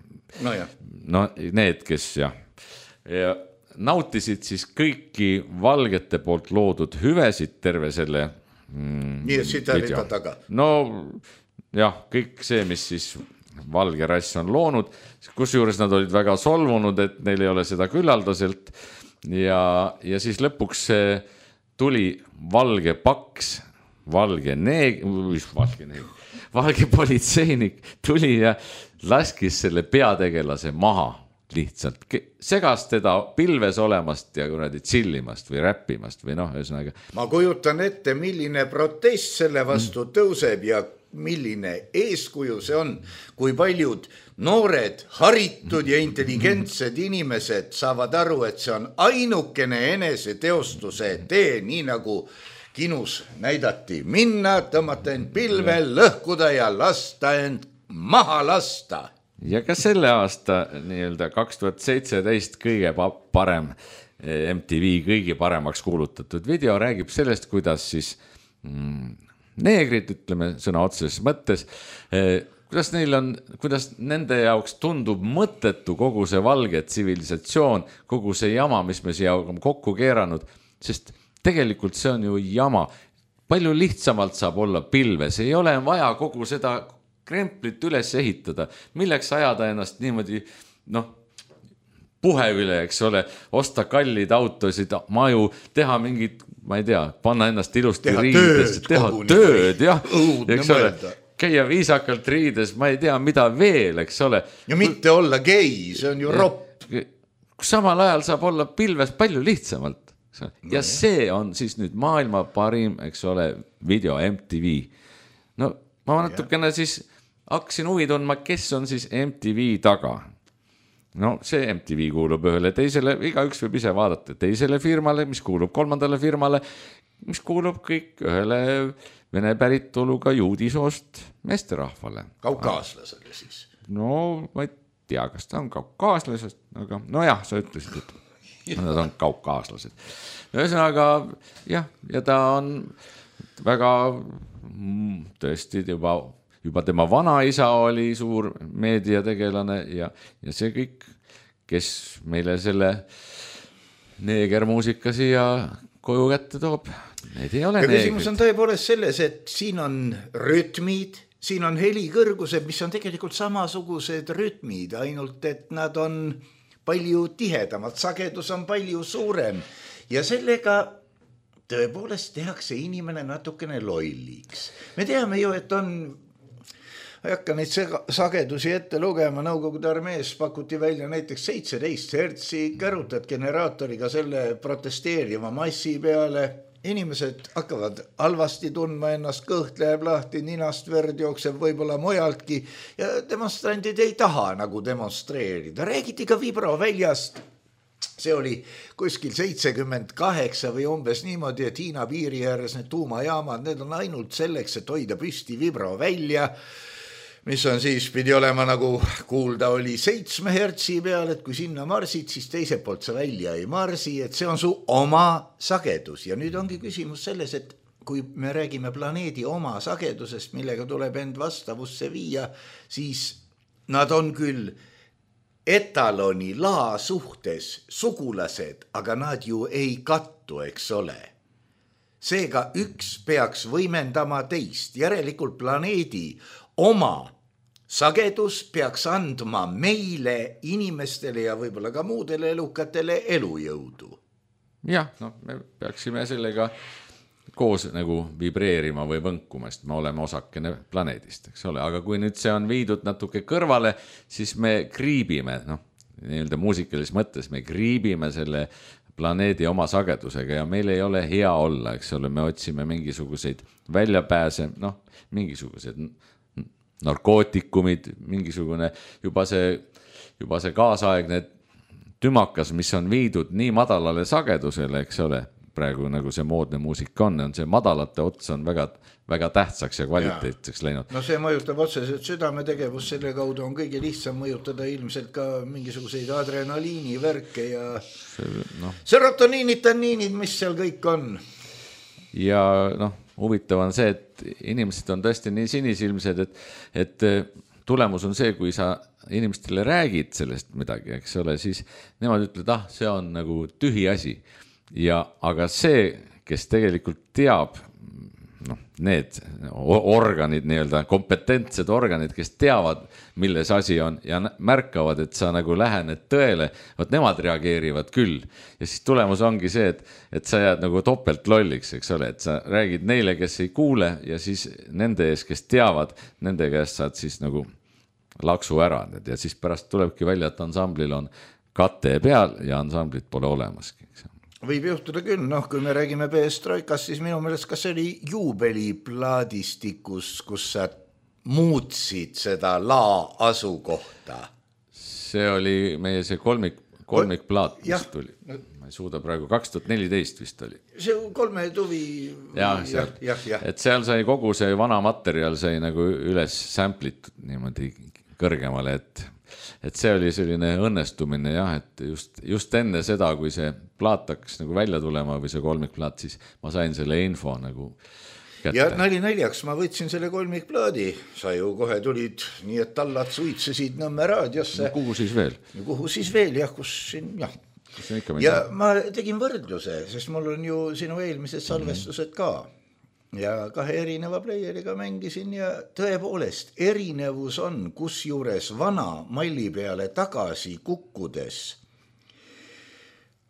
need, kes ja nautisid siis kõiki valgete poolt loodud hüvesid terve selle nii et siit ärita taga. Kõik see, mis siis valge rass on loonud, kusjuures nad olid väga solvunud, et neil ei ole seda küllaldaselt ja siis lõpuks tuli valge paks, valge politseinik tuli ja laskis selle peategelase maha lihtsalt, segas teda pilves olemast ja kuradi chillimast või räppimast või ühesõnaga. Ma kujutan ette, milline protest selle vastu tõuseb ja milline eeskuju see on, kui paljud noored, haritud ja intelligentsed inimesed saavad aru, et see on ainukene eneseteostuse tee, nii nagu kinus näidati, minna, tõmmata end pilvel, lõhkuda ja lasta end maha lasta. Ja ka selle aasta 2017 kõige parem MTV kõige paremaks kuulutatud video räägib sellest, kuidas siis neegrid, ütleme sõna otseses mõttes, kuidas nende jaoks tundub mõttetu kogu see valge tsivilisatsioon, kogu see jama, mis me siia kokku keeranud, sest tegelikult see on ju jama. Palju lihtsamalt saab olla pilves, ei ole vaja kogu seda kremplit üles ehitada, milleks ajada ennast niimoodi, puhe üle, eks ole, osta kallid autosid, maju, teha mingid, ma ei tea, panna ennast ilusti riides, teha tööd, eks ole, käia viisakalt riides, ma ei tea, mida veel, eks ole. Ja mitte olla gei, see on ju ropp. Samal ajal saab olla pilves palju lihtsamalt. Ja see on siis nüüd maailma parim, eks ole, video MTV. Ma natukene siis hakkasin huvi tundma, kes on siis MTV taga. See MTV kuulub ühele teisele, igaüks võib ise vaadata teisele firmale, mis kuulub kolmandale firmale, mis kuulub kõik ühele vene päritoluga juudisoost meesterahvale. Kaukaaslasele siis? Ma ei tea, kas ta on kaukaaslased, aga sa ütlesid, et nad on kaukaaslased. Ühesõnaga, ja ta on väga tõesti juba tema vanaisa oli suur meediategelane ja see kõik, kes meile selle neegermuusika siia koju kätte toob, need ei ole neegrid. Küsimus on tõepoolest selles, et siin on rütmid, siin on helikõrgused, mis on tegelikult samasugused rütmid, ainult et nad on palju tihedamad, sagedus on palju suurem ja sellega tõepoolest tehakse inimene natukene lolliks. Me teame ju, et on ei hakka neid sagedusi ette lugema, Nõukogude armees pakuti välja näiteks 17 hertsi, kärutad generaatoriga selle protesteeriva massi peale, inimesed hakkavad halvasti tundma ennast, kõht läheb lahti, ninast verd jookseb võib-olla mujaltki ja demonstrandid ei taha nagu demonstreerida. Räägiti ka vibroväljast, see oli kuskil 78 või umbes niimoodi, et Hiina piiri ääres need tuumajaamad, need on ainult selleks, et hoida püsti vibrovälja, mis on siis, pidi olema nagu kuulda oli 7 hertsi peal, et kui sinna marsid, siis teiselt poolt sa välja ei marsi, et see on su oma sagedus. Ja nüüd ongi küsimus selles, et kui me räägime planeedi oma sagedusest, millega tuleb end vastavusse viia, siis nad on küll etaloni laa suhtes sugulased, aga nad ju ei kattu, eks ole. Seega üks peaks võimendama teist, järelikult planeedi oma sagedus peaks andma meile, inimestele ja võib-olla ka muudele elukatele elujõudu. Jah, me peaksime sellega koos nagu vibreerima või võnkuma, sest me oleme osakene planeedist, eks ole. Aga kui nüüd see on viidud natuke kõrvale, siis me kriibime, nii-öelda muusikalises mõttes, me kriibime selle planeedi oma sagedusega ja meil ei ole hea olla, eks ole, me otsime mingisuguseid väljapääse, noh, mingisugused narkootikumid, mingisugune juba see kaasaegne tümakas, mis on viidud nii madalale sagedusele, eks ole, praegu nagu see moodne muusik on see madalate ots on väga, väga tähtsaks ja kvaliteetseks läinud. No see mõjutab otseselt südametegevus, selle kaudu on kõige lihtsam mõjutada ilmselt ka mingisuguseid adrenaliini värke ja serotoniinid, tanniinid, mis seal kõik on. Ja huvitav on see, et inimesed on tõesti nii sinisilmsed, et tulemus on see, kui sa inimestele räägid sellest midagi, eks ole, siis nemad ütlevad, see on nagu tühi asi. Aga see, kes tegelikult teab, need organid, nii-öelda kompetentsed organid, kes teavad, milles asi on ja märkavad, et sa nagu lähened tõele, nemad reageerivad küll. Ja siis tulemus ongi see, et sa jääd nagu topelt lolliks, eks ole, et sa räägid neile, kes ei kuule ja siis nende ees, kes teavad, nende käest saad siis nagu laksu ära ja siis pärast tulebki välja, et ansamblil on kate peal ja ansamblit pole olemaski. Võib juhtuda küll, kui me räägime Perestroikast, siis minu meelest kas see oli juubeliplaadistikus, kus sa muutsid seda asukohta? See oli meie see kolmikplaat, mis tuli. Ma ei suuda praegu, 2014 vist oli. See 3 tuvi. Et seal sai kogu see vana materjal sai nagu üles samplitud niimoodi kõrgemale, et see oli selline õnnestumine et just enne seda, kui see plaat hakkas nagu välja tulema või see kolmikplaat, siis ma sain selle info nagu kätte. Ja naljaks ma võtsin selle kolmikplaadi, sa ju kohe tulid nii, et tallad suitsesid Nõmme raadiosse. Kuhu siis veel? Kuhu siis veel, kus siin, Ja ma tegin võrdluse, sest mul on ju sinu eelmised salvestused ka. Ja 2 erineva playeriga mängisin ja tõepoolest erinevus on, kus juures vana malli peale tagasi kukkudes.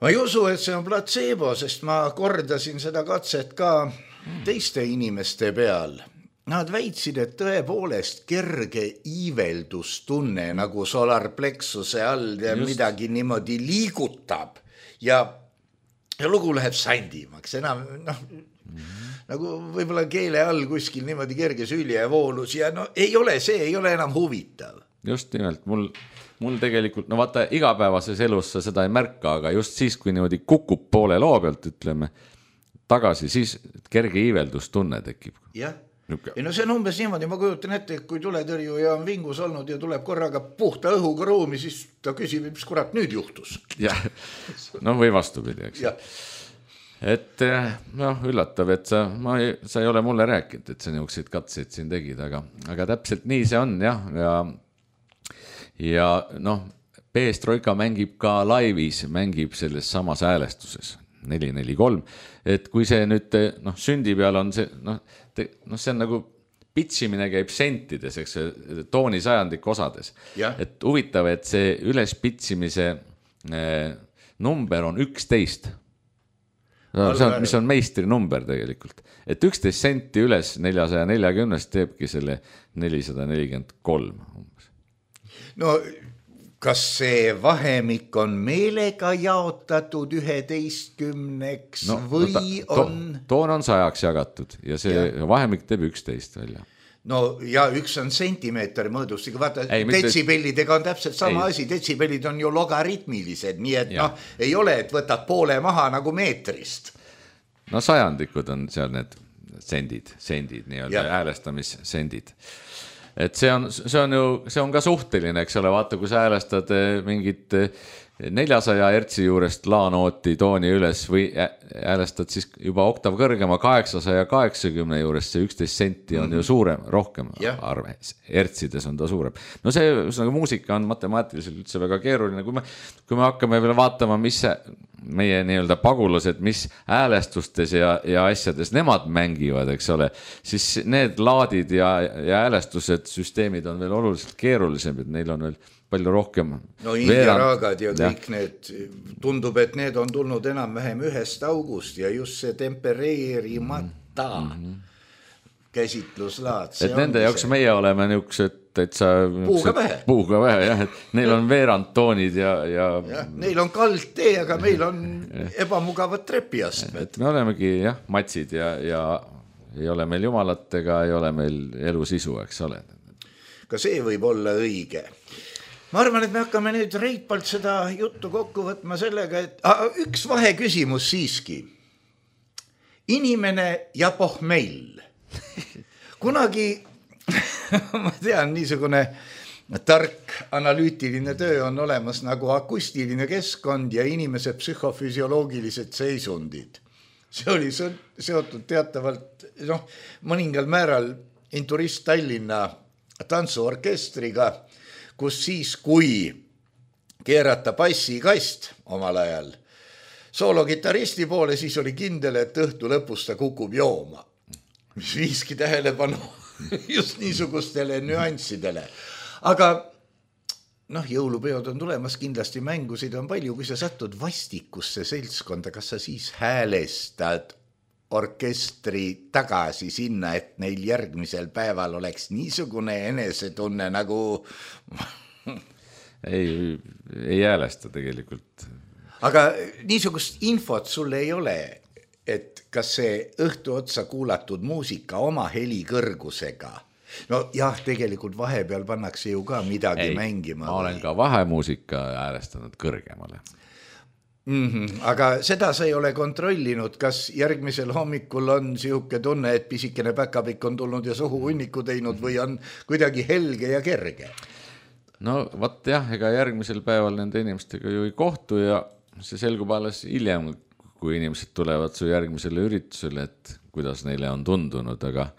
Ma ei usu, et see on placebo, sest ma kordasin seda katset ka teiste inimeste peal. Nad väitsid, et tõepoolest kerge iiveldustunne nagu solarplexuse all ja midagi niimoodi liigutab ja lugu läheb sandimaks, enam nagu võib-olla keele all kuskil niimoodi kerge süljevoolus ja ei ole enam huvitav. Just nimelt, mul tegelikult, vaata igapäevases elus sa seda ei märka, aga just siis, kui niimoodi kukub poole loo pealt, ütleme, tagasi, siis kerge iiveldustunne tekib. Jah, see on umbes niimoodi, ma kujutan ette, kui tuletõrjuja on vingus olnud ja tuleb korraga puhta õhuga ruumi, siis ta küsib, mis kurat nüüd juhtus. Jah, või vastupidi, eks. Et üllatav, et sa ei ole mulle rääkinud, et sa niisuguseid katseid siin tegid, aga täpselt nii see on ja Perestroika mängib ka laivis, mängib selles samas häälestuses 443, et kui see nüüd sündi peal on see, see on nagu pitsimine käib sentides, eks tooni sajandik osades, et huvitav, et see ülespitsimise number on 11. Mis on meistri number tegelikult. Et 11 senti üles 440 teebki selle 443. No, kas see vahemik on meelega jaotatud 11-ks või on... Toon on 100-ks jagatud ja see vahemik teeb 11 välja. No ja 1 on sentimeeter mõõdusega, vaata detsibellidega on täpselt sama asi, detsibellid on ju logaritmilised, nii et ei ole, et võtad poole maha nagu meetrist. No sajandikud on seal need sendid, nii-öelda häälestamissendid. Et see on ka suhteline, eks ole, vaata, kui sa häälestad mingit 400 hertsi juurest laanooti tooni üles või häälestad siis juba oktav kõrgema 880 juurest, see 11 senti on ju suurem, rohkem arve, hertsides on ta suurem. No see muusika on matemaatiliselt üldse väga keeruline, kui me hakkame veel vaatama, mis meie nii-öelda pagulased, mis häälestustes ja asjades nemad mängivad, eks ole, siis need laadid ja häälestused, süsteemid on veel oluliselt keerulisem, et neil on veel palju rohkem. No India raagad ja kõik need, tundub, et need on tulnud enam-vähem 1. august ja just see tempereerimata käsitluslaad. Et nende jaoks meie oleme niisugused, et sa puuga vähe, jah, et neil on veerandtoonid ja neil on kaldtee, aga meil on ebamugavad trepiastmed. Et me olemegi jah, matsid ja ei ole meil jumalatega, ei ole meil elu sisu, eks ole. Ka see võib olla õige. Ma arvan, et me hakkame nüüd reipalt seda juttu kokku võtma sellega, et üks vaheküsimus siiski. Inimene ja pohmell. Kunagi, ma tean, niisugune tark analüütiline töö on olemas nagu akustiline keskkond ja inimese psühhofüsioloogilised seisundid. See oli seotud teatavalt mõningal määral Inturist Tallinna tantsuorkestriga, kus siis, kui keerata bassikast omal ajal soologitaristi poole, siis oli kindel, et õhtu lõpus ta kukub jooma, mis viiski tähelepanu just niisugustele nüanssidele. Aga jõulupeod on tulemas, kindlasti mängusid on palju, kui sa satud vastikusse seltskonda, kas sa siis häälestad orkestri tagasi sinna, et neil järgmisel päeval oleks niisugune enesetunne nagu... ei häälesta tegelikult. Aga niisugust infot sul ei ole, et kas see õhtu otsa kuulatud muusika oma heli kõrgusega, jah, tegelikult vahepeal pannakse ju ka midagi mängima. Ma olen ka vahemuusika häälestanud kõrgemale. Aga seda sa ei ole kontrollinud, kas järgmisel hommikul on sihuke tunne, et pisikene päkapikk on tulnud ja suhu hunniku teinud või on kuidagi helge ja kerge? No vaat jah, ega järgmisel päeval nende inimestega ju ei kohtu ja see selgub alles hiljem, kui inimesed tulevad su järgmisele üritusele, et kuidas neile on tundunud, aga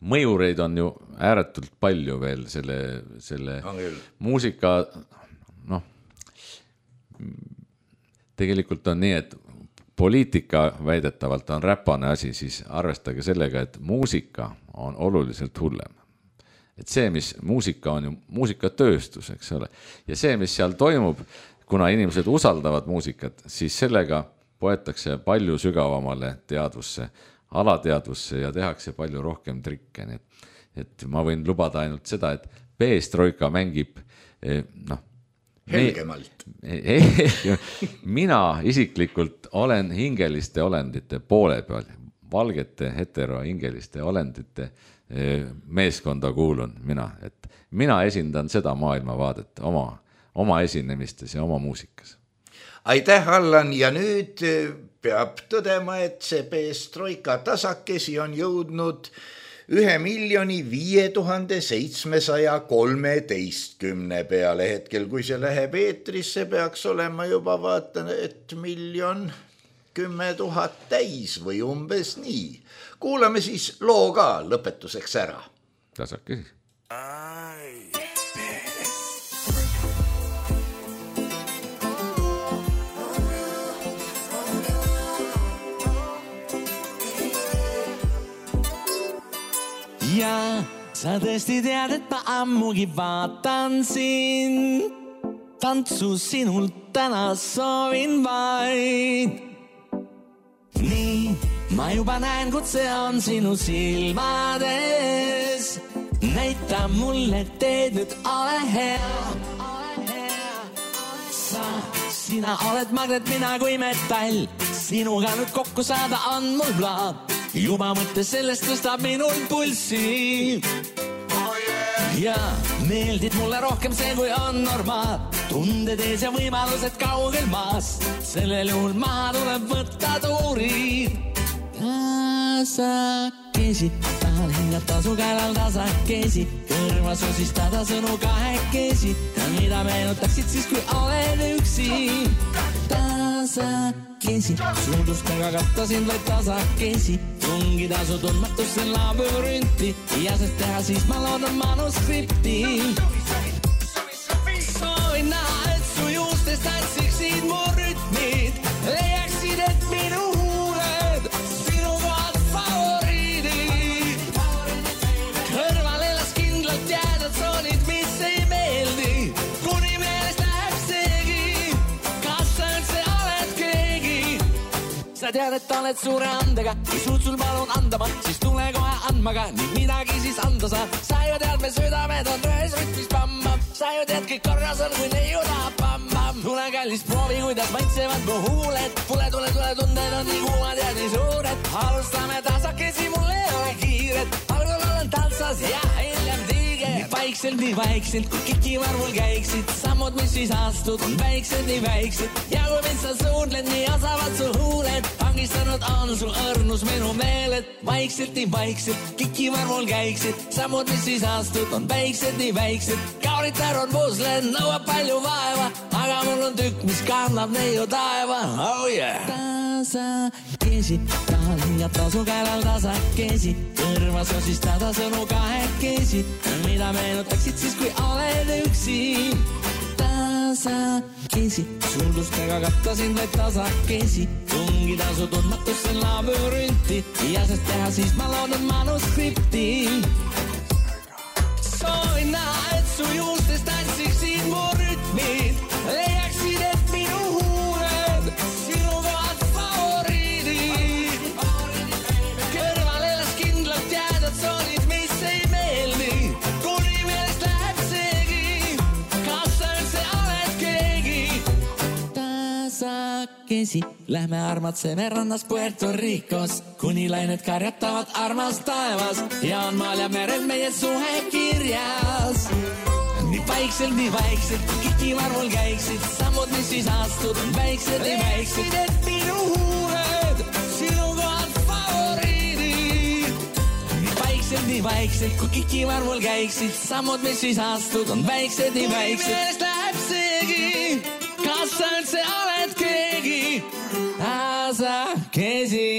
mõjureid on ju ääretult palju veel selle muusika, tegelikult on nii, et poliitika väidetavalt on räpane asi, siis arvestage sellega, et muusika on oluliselt hullem. Et see, mis muusika on ju muusikatööstus, eks ole, ja see, mis seal toimub, kuna inimesed usaldavad muusikat, siis sellega poetakse palju sügavamale teadvusse, alateadvusse ja tehakse palju rohkem trikke. Et ma võin lubada ainult seda, et Peestroika mängib helgemalt. Mina isiklikult olen hingeliste olendite poole peal, valgete heterohingeliste olendite meeskonda kuulun mina, et mina esindan seda maailmavaadet oma esinemistes ja oma muusikas. Aitäh, Allan, ja nüüd peab tõdema, et see Peestroika tasakesi on jõudnud 1,5713 peale hetkel, kui see läheb eetrisse, peaks olema juba vaatan, et 1 10 000 täis või umbes nii. Kuulame siis loo ka lõpetuseks ära. Tasakesi. Ja sa tõesti tead, et ma ammugi vaatan sind. Tantsu sinult täna soovin vaid. Nii, ma juba näen, kut see on sinu silmades. Näita mulle, teed nüüd ole hea. Sina oled magnet, mina kui metall. Sinuga nüüd kokku saada on mul plaan. Juba mõtte sellest tõstab minul pulsi. Ja meeldib mulle rohkem see, kui on normaal. Tunded ees ja võimalused kaugel maas. Sellel juhul maha tuleb võtta tuurid. Tasakesi, tahan hingata su käelal tasakesi. Kõrva sosistada sõnu kahekesi. Ja mida meenutaksid siis, kui oled üksi. Tasakesi, suudustega katta sind vaid tasakesi. Tungida su tundmatusse labürünti ja sest teha siis ma loodan manuskripti. Soovin näha, et su juustest tansiksid mu rütmid. Leiaksid, et minu huuled sinu kohad favoriidid. Kõrvale las kindlalt jääda tsoonid, mis ei meeldi. Kuni meelest läheb seegi, kas sa üldse oled keegi. Sa tead, et oled suure andega, kui suud sul palun andama, siis tule kohe andmaga, nii midagi siis anda saab. Sa ju tead, me südamed on ühes rütmis pammab, sa ju tead, kõik korras on, kui neiu tahab pammab. Tule kallis proovi, kuidas maitsevad mu huuled, tule, tunded on nii kuumad ja nii suured. Alustame tasakesi, mul ei ole kiiret, algul olen tantsas ja hiljem tiige. Nii vaikselt, kui kikivarvul käiksid, sammud, mis siis astud, on väiksed, nii väiksed. Ja kui mind sa suudled, nii asavad sul huuled, vangistanud on sul õrnus minu meeled. Vaikselt, nii vaikselt, kikivarvul käiksid, sammud, mis siis astud, on väiksed, nii väiksed. Kauritar on pusled, nõuab palju vaeva, aga mul on tükk, mis kannab neiu taeva. Oh yeah! Tasakesi, tahan hiljata su käelal tasakesi, kõrvas on siis tada sõnu kahekesi, mida meenutaksid siis, kui oled üksi. Tasakesi, suldustega kattasin vaid tasakesi, tungida su tundmatusse labürünti ja sest teha siis ma loodan manuskripti. Soovin näha, et su juustes tantsiksid mu rütmid, leiaksid, et minu huuled sinu kohad favoriidid. Kõrval elas kindlalt jäädad soonid, mis ei meeldi, kuni meelest läheb seegi, kas sa üldse oled keegi. Tasakesi, lähme armatseme rannas Puerto Ricos, kuni lained karjatavad armas taevas ja on maal ja merel meie suhe kirjas. Nii vaikselt, kikivarvul käiksid, sammud, mis siis astud, on väiksed, nii väiksed, et minu huuled sinu kohad favoriidid. Nii vaikselt, kui kikivarvul käiksid, sammud, mis siis astud, on väiksed, nii väiksed. Kui meelest läheb seegi, kas sa üldse oled keegi. Tasakesi.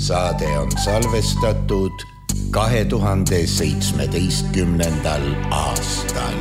Saade on salvestatud 2017. aastal.